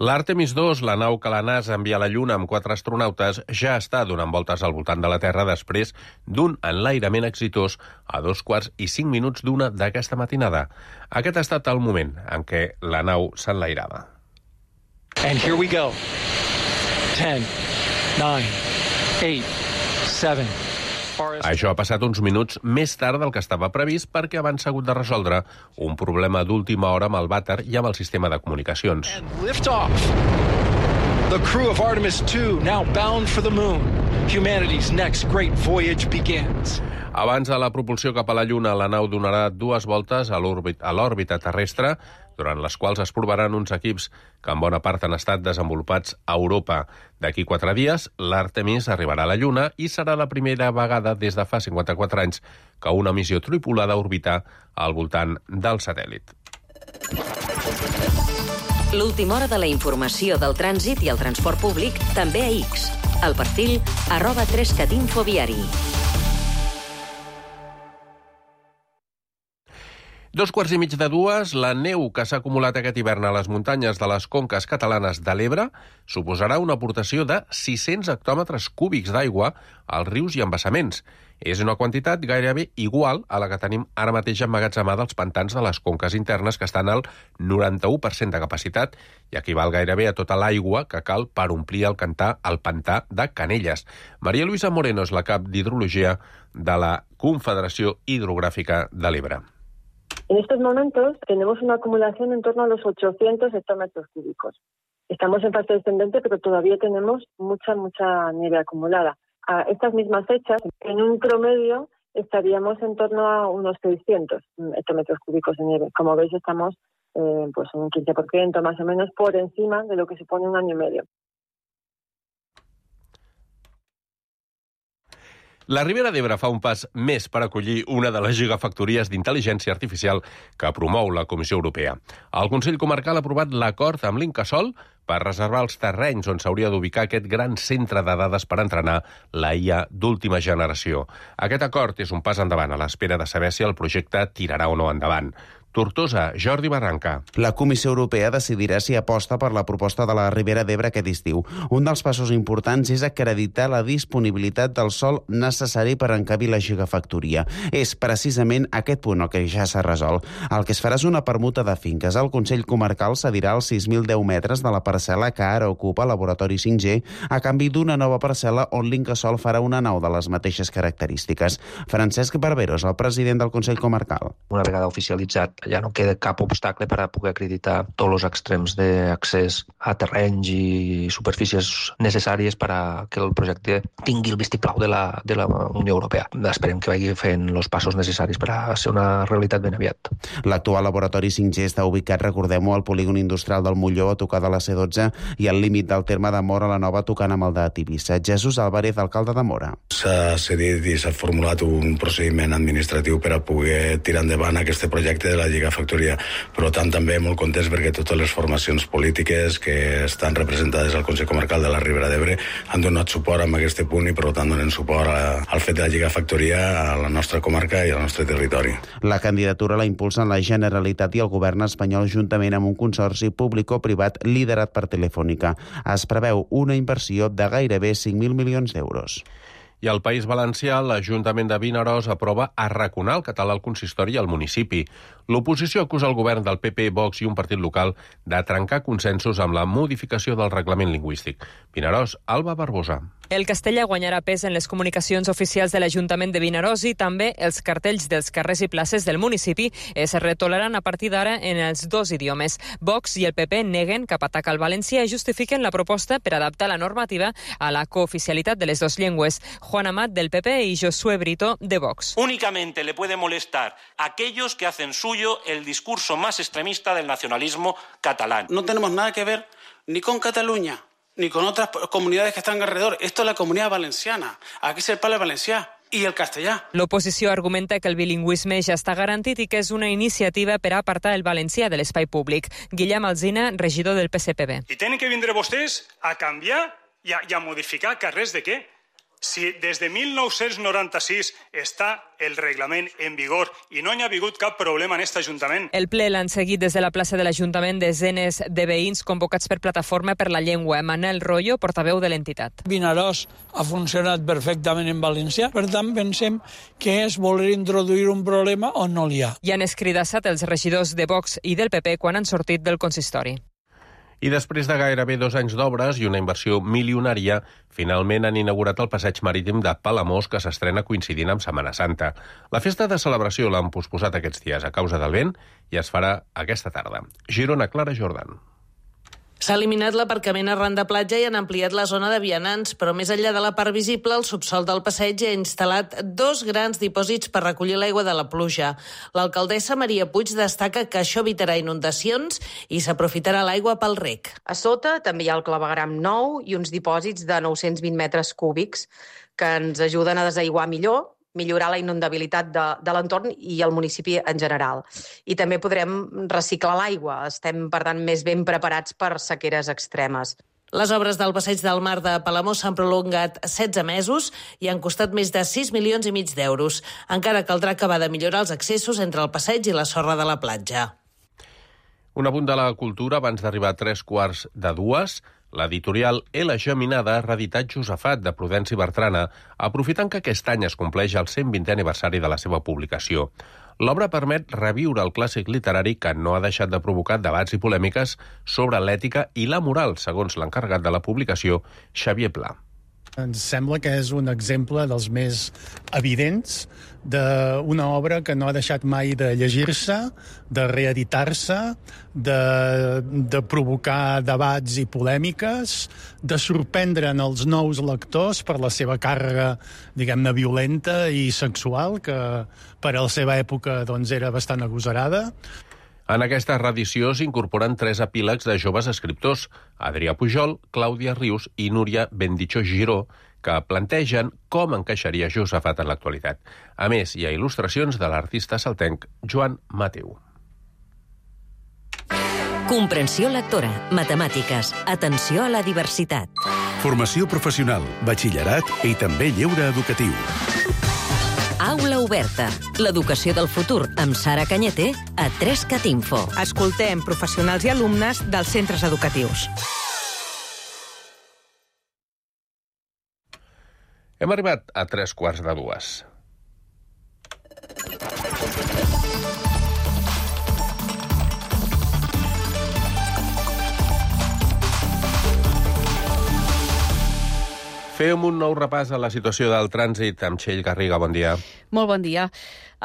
L'Àrtemis 2, la nau que la NASA envia a la Lluna amb 4 astronautes, ja està donant voltes al voltant de la Terra després d'un enlairament exitós a 2:05 d'una d'aquesta matinada. Aquest ha estat el moment en què la nau s'enlairava. And here we go. 10, 9, 8, 7... Això ha passat uns minuts més tard del que estava previst perquè abans s'ha hagut de resoldre un problema d'última hora amb el vàter i amb el sistema de comunicacions. Lift off. The crew of Artemis 2 now bound for the moon. Humanity's next great voyage begins. Abans de la propulsió cap a la Lluna, la nau donarà 2 voltes a l'òrbita terrestre, durant les quals es provaran uns equips que en bona part han estat desenvolupats a Europa. D'aquí 4 dies, l'Àrtemis arribarà a la Lluna i serà la primera vegada des de fa 54 anys que una missió tripulada orbita al voltant del satèl·lit. L'última hora de la informació del trànsit i el transport públic també a X. El perfil @3catinfoviari. 2:15, la neu que s'ha acumulat aquest hivern a les muntanyes de les conques catalanes de l'Ebre suposarà una aportació de 600 hectòmetres cúbics d'aigua als rius i embassaments. És una quantitat gairebé igual a la que tenim ara mateix emmagatzemada als pantans de les conques internes, que estan al 91% de capacitat i equival gairebé a tota l'aigua que cal per omplir el pantà de Canelles. María Luisa Moreno és la cap d'Hidrologia de la Confederació Hidrográfica de l'Ebre. En estos momentos tenemos una acumulación en torno a los 800 hectómetros cúbicos. Estamos en fase descendente, pero todavía tenemos mucha nieve acumulada. A estas mismas fechas, en un promedio, estaríamos en torno a unos 600 hectómetros cúbicos de nieve. Como veis, estamos pues un 15% más o menos por encima de lo que supone un año y medio. La Ribera d'Ebre fa un pas més per acollir una de les gigafactories d'intel·ligència artificial que promou la Comissió Europea. El Consell Comarcal ha aprovat l'acord amb l'Incasòl per reservar els terrenys on s'hauria d'ubicar aquest gran centre de dades per entrenar la IA d'última generació. Aquest acord és un pas endavant a l'espera de saber si el projecte tirarà o no endavant. Tortosa, Jordi Barranca. La Comissió Europea decidirà si aposta per la proposta de la Ribera d'Ebre aquest estiu. Un dels passos importants és acreditar la disponibilitat del sòl necessari per encabir la gigafactoria. És precisament aquest punt el que ja s'ha resolt. El que es farà és una permuta de finques. El Consell Comarcal cedirà els 6.010 metres de la parcel·la que ara ocupa Laboratori 5G a canvi d'una nova parcel·la on l'Incasòl farà una nau de les mateixes característiques. Francesc Barbero és el president del Consell Comarcal. Una vegada oficialitzat, ja no queda cap obstacle per a poder acreditar tots els extrems d'accés a terrenys i superfícies necessàries per a que el projecte tingui el vistiplau de la Unió Europea. Esperem que vagi fent els passos necessaris per a ser una realitat ben aviat. L'actual Laboratori 5G està ubicat, recordem-ho, al polígon industrial del Molló, a tocar de la C12, i al límit del terme de Móra la Nova, tocant amb el de Tivissa. Jesús Álvarez, alcalde de Móra. S'ha cedit i s'ha formulat un procediment administratiu per a poder tirar endavant aquest projecte de la gigafactoria. Per tant, també molt contents perquè totes les formacions polítiques que estan representades al Consell Comarcal de la Ribera d'Ebre han donat suport a aquest punt i, per tant, donen suport al fet de la gigafactoria a la nostra comarca i al nostre territori. La candidatura la impulsen la Generalitat i el govern espanyol juntament amb un consorci público-privat liderat per Telefònica. Es preveu una inversió de gairebé 5.000 milions d'euros. I al País Valencià, l'Ajuntament de Vinaròs aprova arraconar el català al consistori i al municipi. L'oposició acusa el govern del PP, Vox i un partit local de trencar consensos amb la modificació del reglament lingüístic. Vinaròs, Alba Barbosa. El castellà guanyarà pes en les comunicacions oficials de l'Ajuntament de Vinaròs i també els cartells dels carrers i places del municipi es retolaran a partir d'ara en els dos idiomes. Vox i el PP neguen cap atac al valencià i justifiquen la proposta per adaptar la normativa a la cooficialitat de les dues llengües. Juan Amat, del PP, y Josué Brito, de Vox. Únicamente le puede molestar a aquellos que hacen suyo el discurso más extremista del nacionalismo catalán. No tenemos nada que ver ni con Cataluña ni con otras comunidades que están alrededor. Esto es la comunidad valenciana. Aquí se parla el valencià i el castellà. L'oposició argumenta que el bilingüisme ja està garantit i que és una iniciativa per a apartar el valencià de l'espai públic. Guillem Alsina, regidor del PSPB. I tenen que vindre vostès a canviar i a modificar carrers de què? Si des de 1996 està el reglament en vigor i no hi ha hagut cap problema en aquest Ajuntament. El ple l'han seguit des de la plaça de l'Ajuntament desenes de veïns convocats per Plataforma per la Llengua. Manel Royo, portaveu de l'entitat. Vinaròs ha funcionat perfectament en valencià, per tant pensem que és voler introduir un problema on no n'hi ha. I han escridassat els regidors de Vox i del PP quan han sortit del consistori. I després de gairebé 2 anys d'obres i una inversió milionària, finalment han inaugurat el passeig marítim de Palamós, que s'estrena coincidint amb Setmana Santa. La festa de celebració l'han posposat aquests dies a causa del vent i es farà aquesta tarda. Girona, Clara Jordan. S'ha eliminat l'aparcament arran de platja i han ampliat la zona de vianants, però més enllà de la part visible, el subsol del passeig ha instal·lat 2 grans dipòsits per recollir l'aigua de la pluja. L'alcaldessa Maria Puig destaca que això evitarà inundacions i s'aprofitarà l'aigua pel rec. A sota també hi ha el clavegram nou i uns dipòsits de 920 metres cúbics que ens ajuden a desaiguar millor, millorar la inundabilitat de l'entorn i el municipi en general. I també podrem reciclar l'aigua. Estem, per tant, més ben preparats per sequeres extremes. Les obres del Passeig del Mar de Palamós s'han prolongat 16 mesos i han costat més de 6,5 milions d'euros. Encara caldrà acabar de millorar els accessos entre el passeig i la sorra de la platja. Un apunt de la cultura abans d'arribar a 3:45. L'editorial L. Geminada ha reeditat Josafat, de Prudenci Bertrana, aprofitant que aquest any es compleix el 120è aniversari de la seva publicació. L'obra permet reviure el clàssic literari que no ha deixat de provocar debats i polèmiques sobre l'ètica i la moral, segons l'encarregat de la publicació, Xavier Pla. Ens sembla que és un exemple dels més evidents d'una obra que no ha deixat mai de llegir-se, de reeditar-se, de provocar debats i polèmiques, de sorprendre'n els nous lectors per la seva càrrega, diguem-ne, violenta i sexual, que per a la seva època doncs, era bastant agosarada. En aquesta reedició s'incorporen 3 epílegs de joves escriptors, Adrià Pujol, Clàudia Rius i Núria Bendicho Giró, que plantegen com encaixaria Josafat en l'actualitat. A més, hi ha il·lustracions de l'artista saltenc Joan Mateu. Comprensió lectora, matemàtiques, atenció a la diversitat. Formació professional, batxillerat i també lleure educatiu. Aula oberta. L'educació del futur amb Sara Cañete a 3cat Info. Escoltem professionals i alumnes dels centres educatius. Hem arribat a 3:45. Fem un nou repàs a la situació del trànsit amb Txell Garriga. Bon dia. Molt bon dia.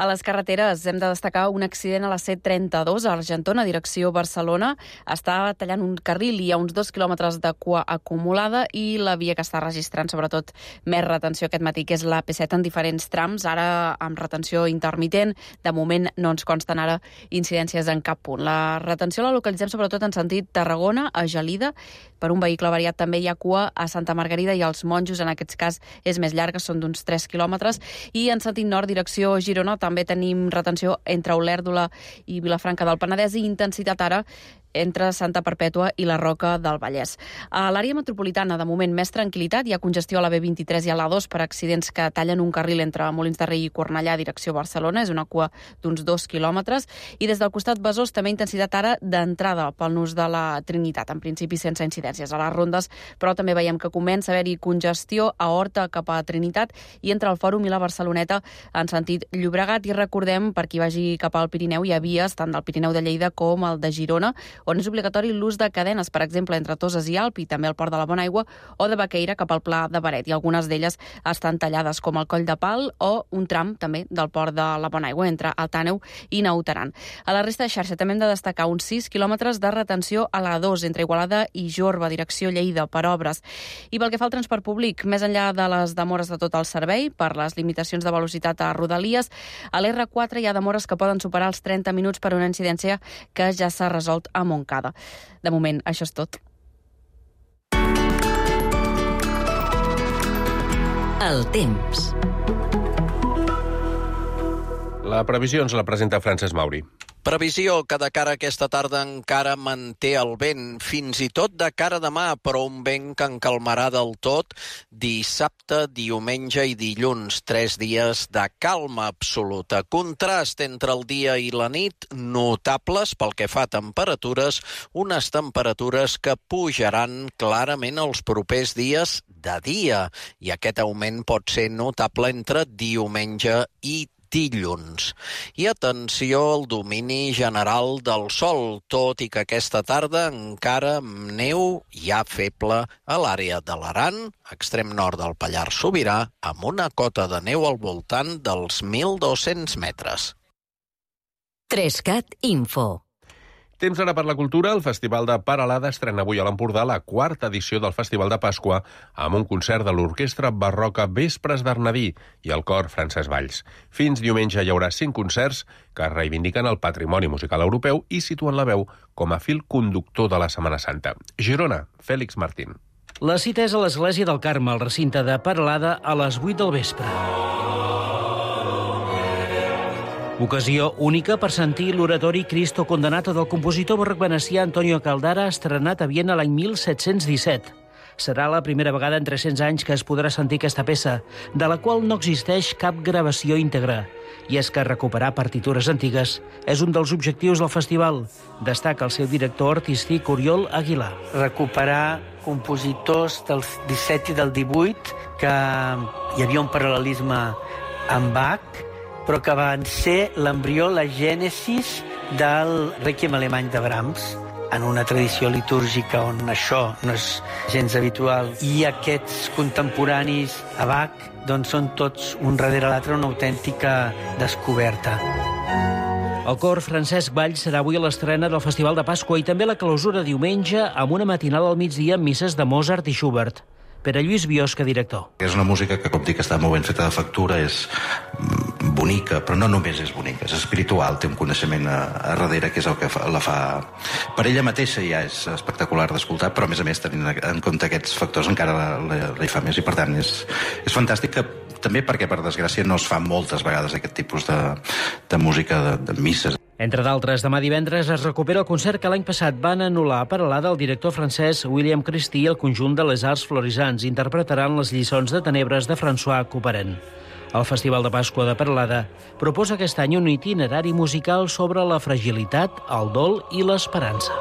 A les carreteres hem de destacar un accident a la C32 a Argentona, direcció Barcelona. Està tallant un carril i hi ha uns 2 quilòmetres de cua acumulada i la via que està registrant sobretot més retenció aquest matí, que és la P7 en diferents trams, ara amb retenció intermitent. De moment no ens consten ara incidències en cap punt. La retenció la localitzem sobretot en sentit Tarragona, a Gelida. Per un vehicle variat també hi ha cua a Santa Margarida i als Monjos, en aquest cas és més llarga, són d'uns 3 quilòmetres. I en sentit nord, direcció Girona, també tenim retenció entre Olèrdola i Vilafranca del Penedès i intensitat ara entre Santa Perpètua i la Roca del Vallès. A l'àrea metropolitana, de moment, més tranquil·litat. Hi ha congestió a la B23 i a l'A2 per accidents que tallen un carril entre Molins de Rei i Cornellà, direcció Barcelona. És una cua d'uns 2 quilòmetres. I des del costat Besòs, també intensitat ara d'entrada pel nus de la Trinitat. En principi, sense incidències a les rondes, però també veiem que comença a haver-hi congestió a Horta cap a Trinitat i entre el Fòrum i la Barceloneta en sentit Llobregat. I recordem, per qui vagi cap al Pirineu, hi ha vies tant del Pirineu de Lleida com el de Girona, on és obligatori l'ús de cadenes, per exemple, entre Toses i Alp i també el Port de la Bonaigua, o de Baqueira cap al Pla de Baret. I algunes d'elles estan tallades, com el Coll de Pal o un tram també del Port de la Bonaigua entre Altàneu i Naut Aran. A la resta de xarxa també hem de destacar uns 6 quilòmetres de retenció a l'A2 entre Igualada i Jorba, direcció Lleida, per obres. I pel que fa al transport públic, més enllà de les demores de tot el servei, per les limitacions de velocitat a Rodalies, a l'R4 hi ha demores que poden superar els 30 minuts per una incidència que ja s'ha resolt a Montcada. De moment, això és tot. El temps. La previsió ens la presenta Francesc Mauri. Previsió que de cara a aquesta tarda encara manté el vent, fins i tot de cara a demà, però un vent que en calmarà del tot dissabte, diumenge i dilluns, 3 dies de calma absoluta. Contrast entre el dia i la nit notables pel que fa a temperatures, unes temperatures que pujaran clarament els propers dies de dia, i aquest augment pot ser notable entre diumenge i dilluns. I atenció al domini general del sol, tot i que aquesta tarda encara neu ja feble a l'àrea de l'Aran, extrem nord del Pallars Sobirà, amb una cota de neu al voltant dels 1.200 metres. 3cat Info. Temps ara per la cultura. El Festival de Paralada estrena avui a l'Empordà la 4ª edició del Festival de Pasqua amb un concert de l'Orquestra Barroca Vespres d'Arnadí i el cor Francesc Valls. Fins diumenge hi haurà 5 concerts que reivindiquen el patrimoni musical europeu i situen la veu com a fil conductor de la Setmana Santa. Girona, Fèlix Martín. La cita és a l'Església del Carme, al recinte de Paralada, a les 8 del vespre. Ocasió única per sentir l'oratori Cristo Condenato del compositor barroc venecià Antonio Caldara, estrenat a Viena l'any 1717. Serà la primera vegada en 300 anys que es podrà sentir aquesta peça, de la qual no existeix cap gravació íntegra. I és que recuperar partitures antigues és un dels objectius del festival, destaca el seu director artístic Oriol Aguilar. Recuperar compositors del 17 i del 18, que hi havia un paral·lelisme amb Bach, però que van ser l'embrió, la gènesis del Requiem alemany de Brahms, en una tradició litúrgica on això no és gens habitual. I aquests contemporanis a Bach doncs són tots un darrere l'altre una autèntica descoberta. El cor Francesc Valls serà avui a l'estrena del Festival de Pasqua i també la clausura diumenge amb una matinal al migdia amb misses de Mozart i Schubert. Pere Lluís Biosca, director. És una música que, com dic, està molt ben feta de factura, és bonica, però no només és bonica, és espiritual, té un coneixement a darrere que és el que la fa... Per ella mateixa ja és espectacular d'escoltar, però a més, tenint en compte aquests factors encara la hi fa més, i per tant és fantàstic que també perquè, per desgràcia, no es fa moltes vegades aquest tipus de música, de misses. Entre d'altres, demà divendres es recupera el concert que l'any passat van anul·lar per a del director francès William Christie i el conjunt de les Arts Florisans interpretaran les lliçons de tenebres de François Couperin. El Festival de Pasqua de Peralada proposa aquest any un itinerari musical sobre la fragilitat, el dol i l'esperança.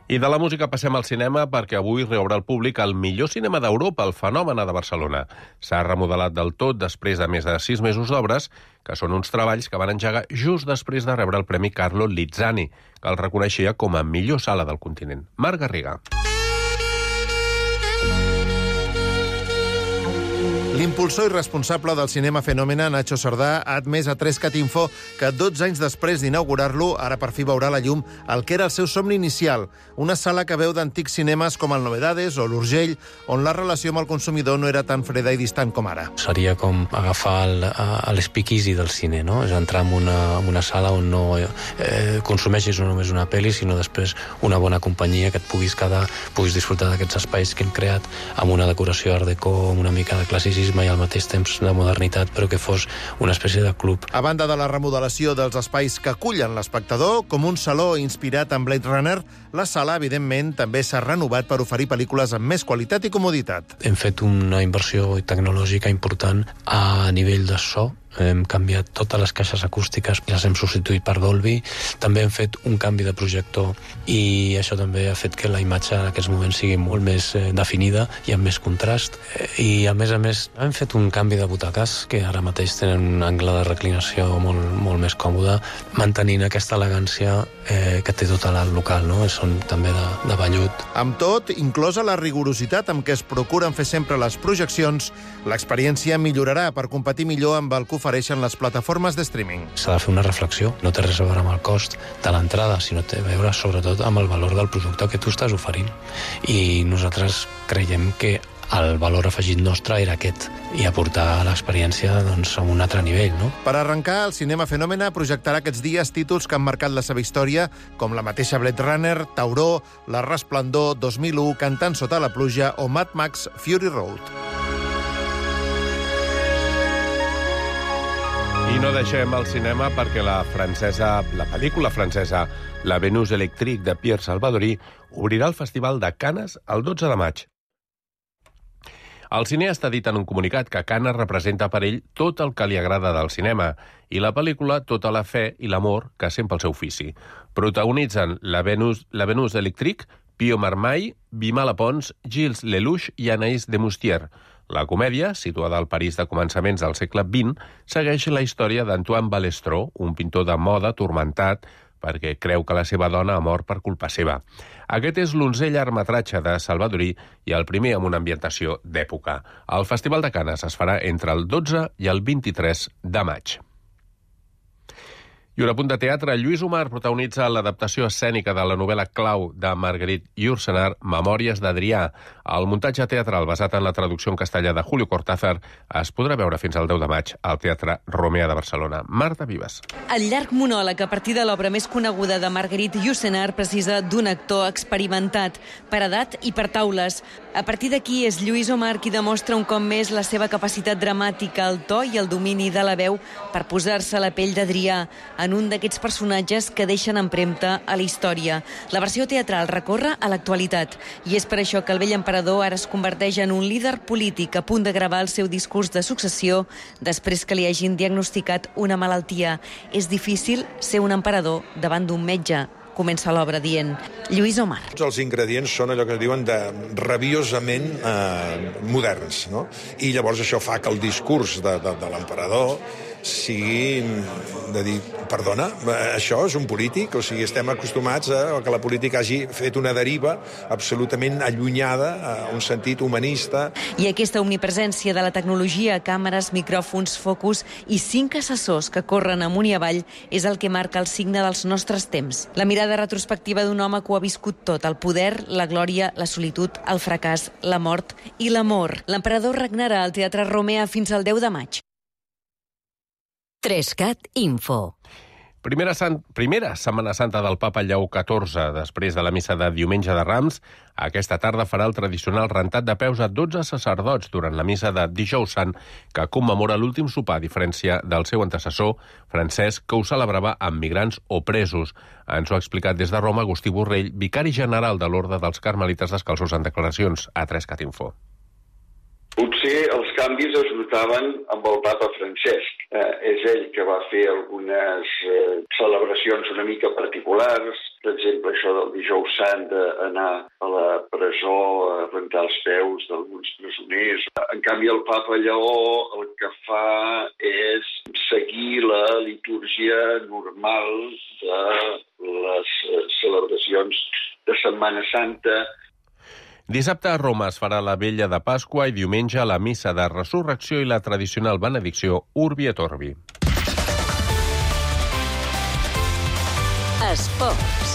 I de la música passem al cinema perquè avui reobre al públic el millor cinema d'Europa, el Fenòmena de Barcelona. S'ha remodelat del tot després de més de 6 mesos d'obres, que són uns treballs que van engegar just després de rebre el Premi Carlo Lizzani, que el reconeixia com a millor sala del continent. Marc Garriga. L'impulsor i responsable del cinema Fenòmena, Nacho Sardà, ha admès a 3CAT-Info que 12 anys després d'inaugurar-lo, ara per fi veurà la llum el que era el seu somni inicial, una sala que veu d'antics cinemes com el Novedades o l'Urgell, on la relació amb el consumidor no era tan freda i distant com ara. Seria com agafar l'speakeasy del cine, no? És entrar en una sala on no consumeixis no només una pel·li, sinó després una bona companyia que et puguis disfrutar d'aquests espais que hem creat amb una decoració art déco, amb una mica de classicisme i al mateix temps de modernitat, però que fos una espècie de club. A banda de la remodelació dels espais que acullen l'espectador, com un saló inspirat en Blade Runner, la sala, evidentment, també s'ha renovat per oferir pel·lícules amb més qualitat i comoditat. Hem fet una inversió tecnològica important a nivell de so. Hem canviat totes les caixes acústiques, les hem substituït per Dolby. També hem fet un canvi de projector i això també ha fet que la imatge en aquests moments sigui molt més definida i amb més contrast. I a més, hem fet un canvi de butaques que ara mateix tenen un angle de reclinació molt més còmode, mantenint aquesta elegància que té tot el local, no? Són també de vellut. Amb tot, inclosa la rigorositat amb què es procuren fer sempre les projeccions, l'experiència millorarà per competir millor amb el que ofereixen les plataformes de streaming. S'ha de fer una reflexió, no té res a veure amb el cost de l'entrada, sinó té a veure sobretot amb el valor del producte que tu estàs oferint. I nosaltres creiem que el valor afegit nostre era aquest, i aportar l'experiència a un altre nivell, no? Per arrencar, el cinema Fenòmena projectarà aquests dies títols que han marcat la seva història, com la mateixa Blade Runner, Tauró, La Resplendor, 2001, Cantant sota la pluja o Mad Max Fury Road. I no deixem el cinema perquè la pel·lícula francesa La Vénus électrique de Pierre Salvadori obrirà el Festival de Canes el 12 de maig. El cineasta ha dit en un comunicat que Canes representa per ell tot el que li agrada del cinema i la pel·lícula tota la fe i l'amor que sent pel seu ofici. Protagonitzen La Vénus électrique, Pio Marmaille, Vimala Pons, Gilles Lelouch i Anaïs de Moustier. La comèdia, situada al París de començaments del segle XX, segueix la història d'Antoine Balestro, un pintor de moda turmentat perquè creu que la seva dona ha mort per culpa seva. Aquest és l'11è llargmetratge de Salvadori i el primer amb una ambientació d'època. El Festival de Canes es farà entre el 12 i el 23 de maig. I un apunt de teatre. Lluís Omar protagonitza l'adaptació escènica de la novel·la clau de Marguerite Yourcenar, Memòries d'Adrià. El muntatge teatral basat en la traducció en castellà de Julio Cortázar es podrà veure fins al 10 de maig al Teatre Romea de Barcelona. Marta Vives. El llarg monòleg a partir de l'obra més coneguda de Marguerite Yourcenar precisa d'un actor experimentat, per edat i per taules. A partir d'aquí és Lluís Omar qui demostra un cop més la seva capacitat dramàtica, el to i el domini de la veu per posar-se a la pell d'Adrià en un d'aquests personatges que deixen empremta a la història. La versió teatral recorre a l'actualitat i és per això que el vell emperador ara es converteix en un líder polític a punt de gravar el seu discurs de successió després que li hagin diagnosticat una malaltia. És difícil ser un emperador davant d'un metge. Comença l'obra dient Lluís Omar. Els ingredients són allò que es diuen de rabiosament moderns, no? I llavors això fa que el discurs de l'emperador sigui de dir, perdona, això és un polític? O sigui, estem acostumats a que la política hagi fet una deriva absolutament allunyada a un sentit humanista. I aquesta omnipresència de la tecnologia, càmeres, micròfons, focus i 5 assessors que corren amunt i avall és el que marca el signe dels nostres temps. La mirada retrospectiva d'un home que ho ha viscut tot, el poder, la glòria, la solitud, el fracàs, la mort i l'amor. L'emperador regnarà al Teatre Romea fins al 10 de maig. 3CAT Info. Primera Setmana Santa del Papa Lleó XIV. Després de la missa de diumenge de Rams, aquesta tarda farà el tradicional rentat de peus a 12 sacerdots durant la missa de Dijous Sant, que commemora l'últim sopar, a diferència del seu antecessor, Francesc, que ho celebrava amb migrants o presos. Ens ho ha explicat des de Roma Agustí Borrell, vicari general de l'Orde dels Carmelites Descalços, en declaracions a 3CAT Info. Potser els canvis es notaven amb el papa Francesc. És ell que va fer algunes celebracions una mica particulars, per exemple, això del Dijous Sant, d'anar a la presó a rentar els peus d'alguns presoners. En canvi, el papa Lleó el que fa és seguir la litúrgia normal de les celebracions de Setmana Santa. Dissabte a Roma es farà la Vella de Pasqua i diumenge la Missa de Resurrecció i la tradicional benedicció Urbi et Orbi. Esports.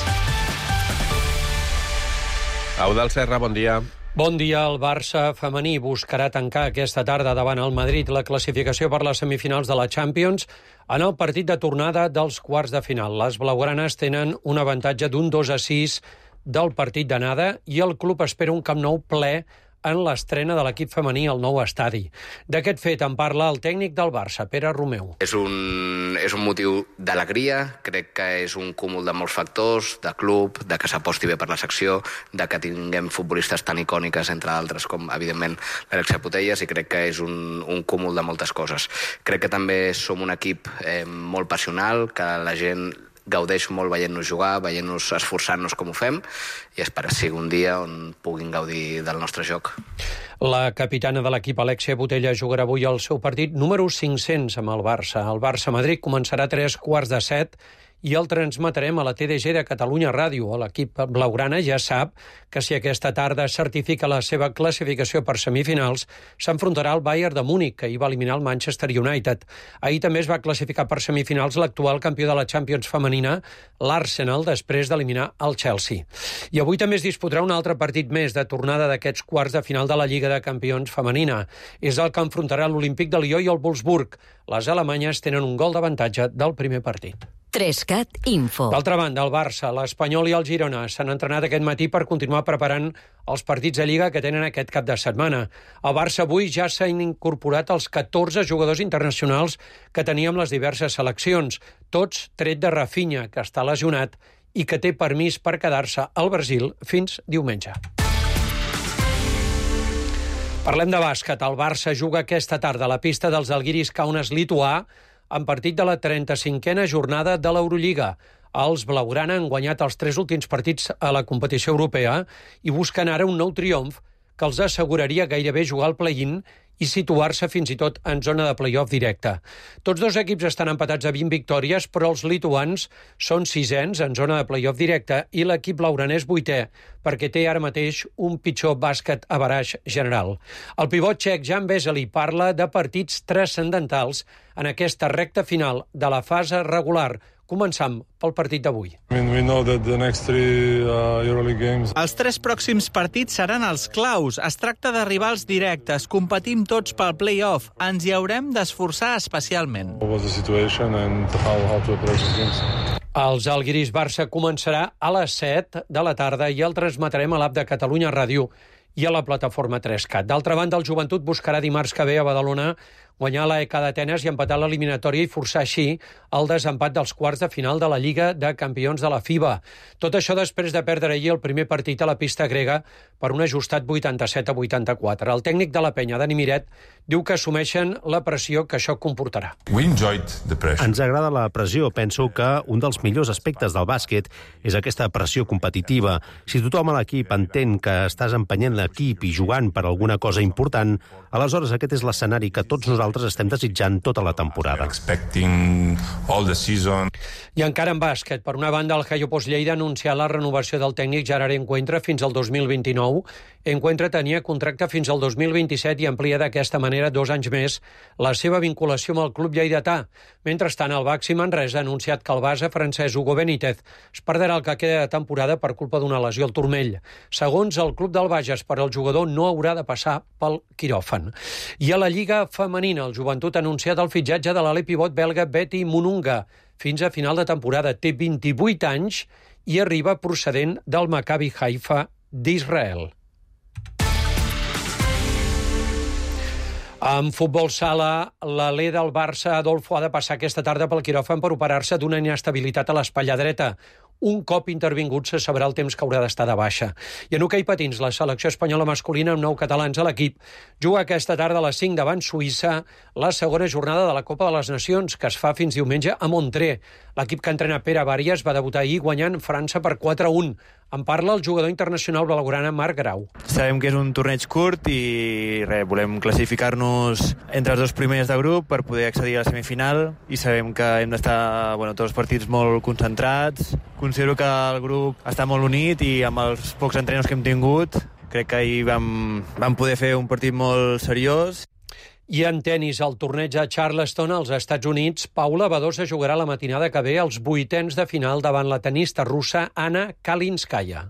Eudald Serra, bon dia. Bon dia. El Barça femení buscarà tancar aquesta tarda davant el Madrid la classificació per les semifinals de la Champions en el partit de tornada dels quarts de final. Les blaugranes tenen un avantatge d'un 2-6 del partit d'anada i el club espera un Camp Nou ple en l'estrena de l'equip femení al nou estadi. D'aquest fet en parla el tècnic del Barça, Pere Romeu. És un motiu d'alegria, crec que és un cúmul de molts factors, de club, de que s'aposti bé per la secció, de que tinguem futbolistes tan icòniques, entre altres, com, evidentment, l'Alexia Putellas, i crec que és un cúmul de moltes coses. Crec que també som un equip molt passional, que la gent gaudeix molt veient-nos jugar, veient-nos esforçant-nos com ho fem, i espero que sigui un dia on puguin gaudir del nostre joc. La capitana de l'equip, Alexia Putellas, jugarà avui el seu partit número 500 amb el Barça. El Barça-Madrid començarà a 3:15 i el transmetrem a la TDG de Catalunya Ràdio. L'equip blaugrana ja sap que si aquesta tarda certifica la seva classificació per semifinals, s'enfrontarà al Bayern de Múnich, que ahir va eliminar el Manchester United. Ahir també es va classificar per semifinals l'actual campió de la Champions femenina, l'Arsenal, després d'eliminar el Chelsea. I avui també es disputarà un altre partit més de tornada d'aquests quarts de final de la Lliga de Campions femenina. És el que enfrontarà l'Olímpic de Lió i el Wolfsburg. Les alemanyes tenen un gol d'avantatge del primer partit. 3CAT Info. D'altra banda, el Barça, l'Espanyol i el Girona s'han entrenat aquest matí per continuar preparant els partits de Lliga que tenen aquest cap de setmana. Al Barça avui ja s'han incorporat els 14 jugadors internacionals que teníem les diverses seleccions, tots tret de Rafinha, que està lesionat i que té permís per quedar-se al Brasil fins diumenge. Parlem de bàsquet. El Barça juga aquesta tarda a la pista dels Žalgiris Kaunas lituà en partit de la 35a jornada de l'Eurolliga. Els blaugrana han guanyat els 3 últims partits a la competició europea i busquen ara un nou triomf que els asseguraria gairebé jugar al play-in i situar-se fins i tot en zona de play-off directe. Tots dos equips estan empatats a 20 victòries, però els lituans són 6ens en zona de play-off directe i l'equip blaugrana és 8è, perquè té ara mateix un pitjor bàsquet average general. El pivot txec Jan Vesely parla de partits transcendentals en aquesta recta final de la fase regular. Començam pel partit d'avui. Els 3 pròxims partits seran els claus. Es tracta d'arribar als directes. Competim tots pel play-off. Ens hi haurem d'esforçar especialment. El Žalgiris Barça començarà a les 7 de la tarda i el transmetrem a l'app de Catalunya Ràdio i a la plataforma 3CAT. D'altra banda, el Joventut buscarà dimarts que ve a Badalona guanyar l'EK d'Atenes i empatar l'eliminatòria i forçar així el desempat dels quarts de final de la Lliga de Campions de la FIBA. Tot això després de perdre ahir el primer partit a la pista grega per un ajustat 87-84. El tècnic de la penya, Dani Miret, diu que assumeixen la pressió que això comportarà. Ens agrada la pressió. Penso que un dels millors aspectes del bàsquet és aquesta pressió competitiva. Si tothom a l'equip entén que estàs empenyent l'equip i jugant per alguna cosa important, aleshores aquest és l'escenari que tots nosaltres estem desitjant tota la temporada. I encara en bàsquet. Per una banda, el Jaiopos Lleida ha anunciat la renovació del tècnic Gerard Encuentra fins al 2029. Encuentra tenia contracte fins al 2027 i amplia d'aquesta manera 2 anys més la seva vinculació amb el club lleidatà. Mentrestant, el Baxi Manresa ha anunciat que el base francès Hugo Benítez es perdrà el que queda de temporada per culpa d'una lesió al turmell. Segons el club del Bages, per al jugador no haurà de passar pel quiròfan. I a la Lliga femenina, el Joventut ha anunciat el fitxatge de l'ala pivot belga Betty Mununga. Fins a final de temporada té 28 anys i arriba procedent del Maccabi Haifa d'Israel. En futbol sala, l'alè del Barça, Adolfo, ha de passar aquesta tarda pel quiròfan per operar-se d'una inestabilitat a l'espatlla dreta. Un cop intervingut se sabrà el temps que haurà d'estar de baixa. I en hoquei patins, la selecció espanyola masculina amb 9 catalans a l'equip juga aquesta tarda a les 5 davant Suïssa la segona jornada de la Copa de les Nacions, que es fa fins diumenge a Montré. L'equip que entrena Pere Bàries va debutar ahir guanyant França per 4-1. En parla el jugador internacional blaugrana Marc Grau. Sabem que és un torneig curt i volem classificar-nos entre els 2 primers de grup per poder accedir a la semifinal i sabem que hem d'estar tots els partits molt concentrats. Considero que el grup està molt unit i amb els pocs entrenos que hem tingut crec que ahir vam poder fer un partit molt seriós. I en tennis, al torneig a Charleston, als Estats Units, Paula Badosa jugarà la matinada que ve als 8ens de final davant la tenista russa Anna Kalinskaya.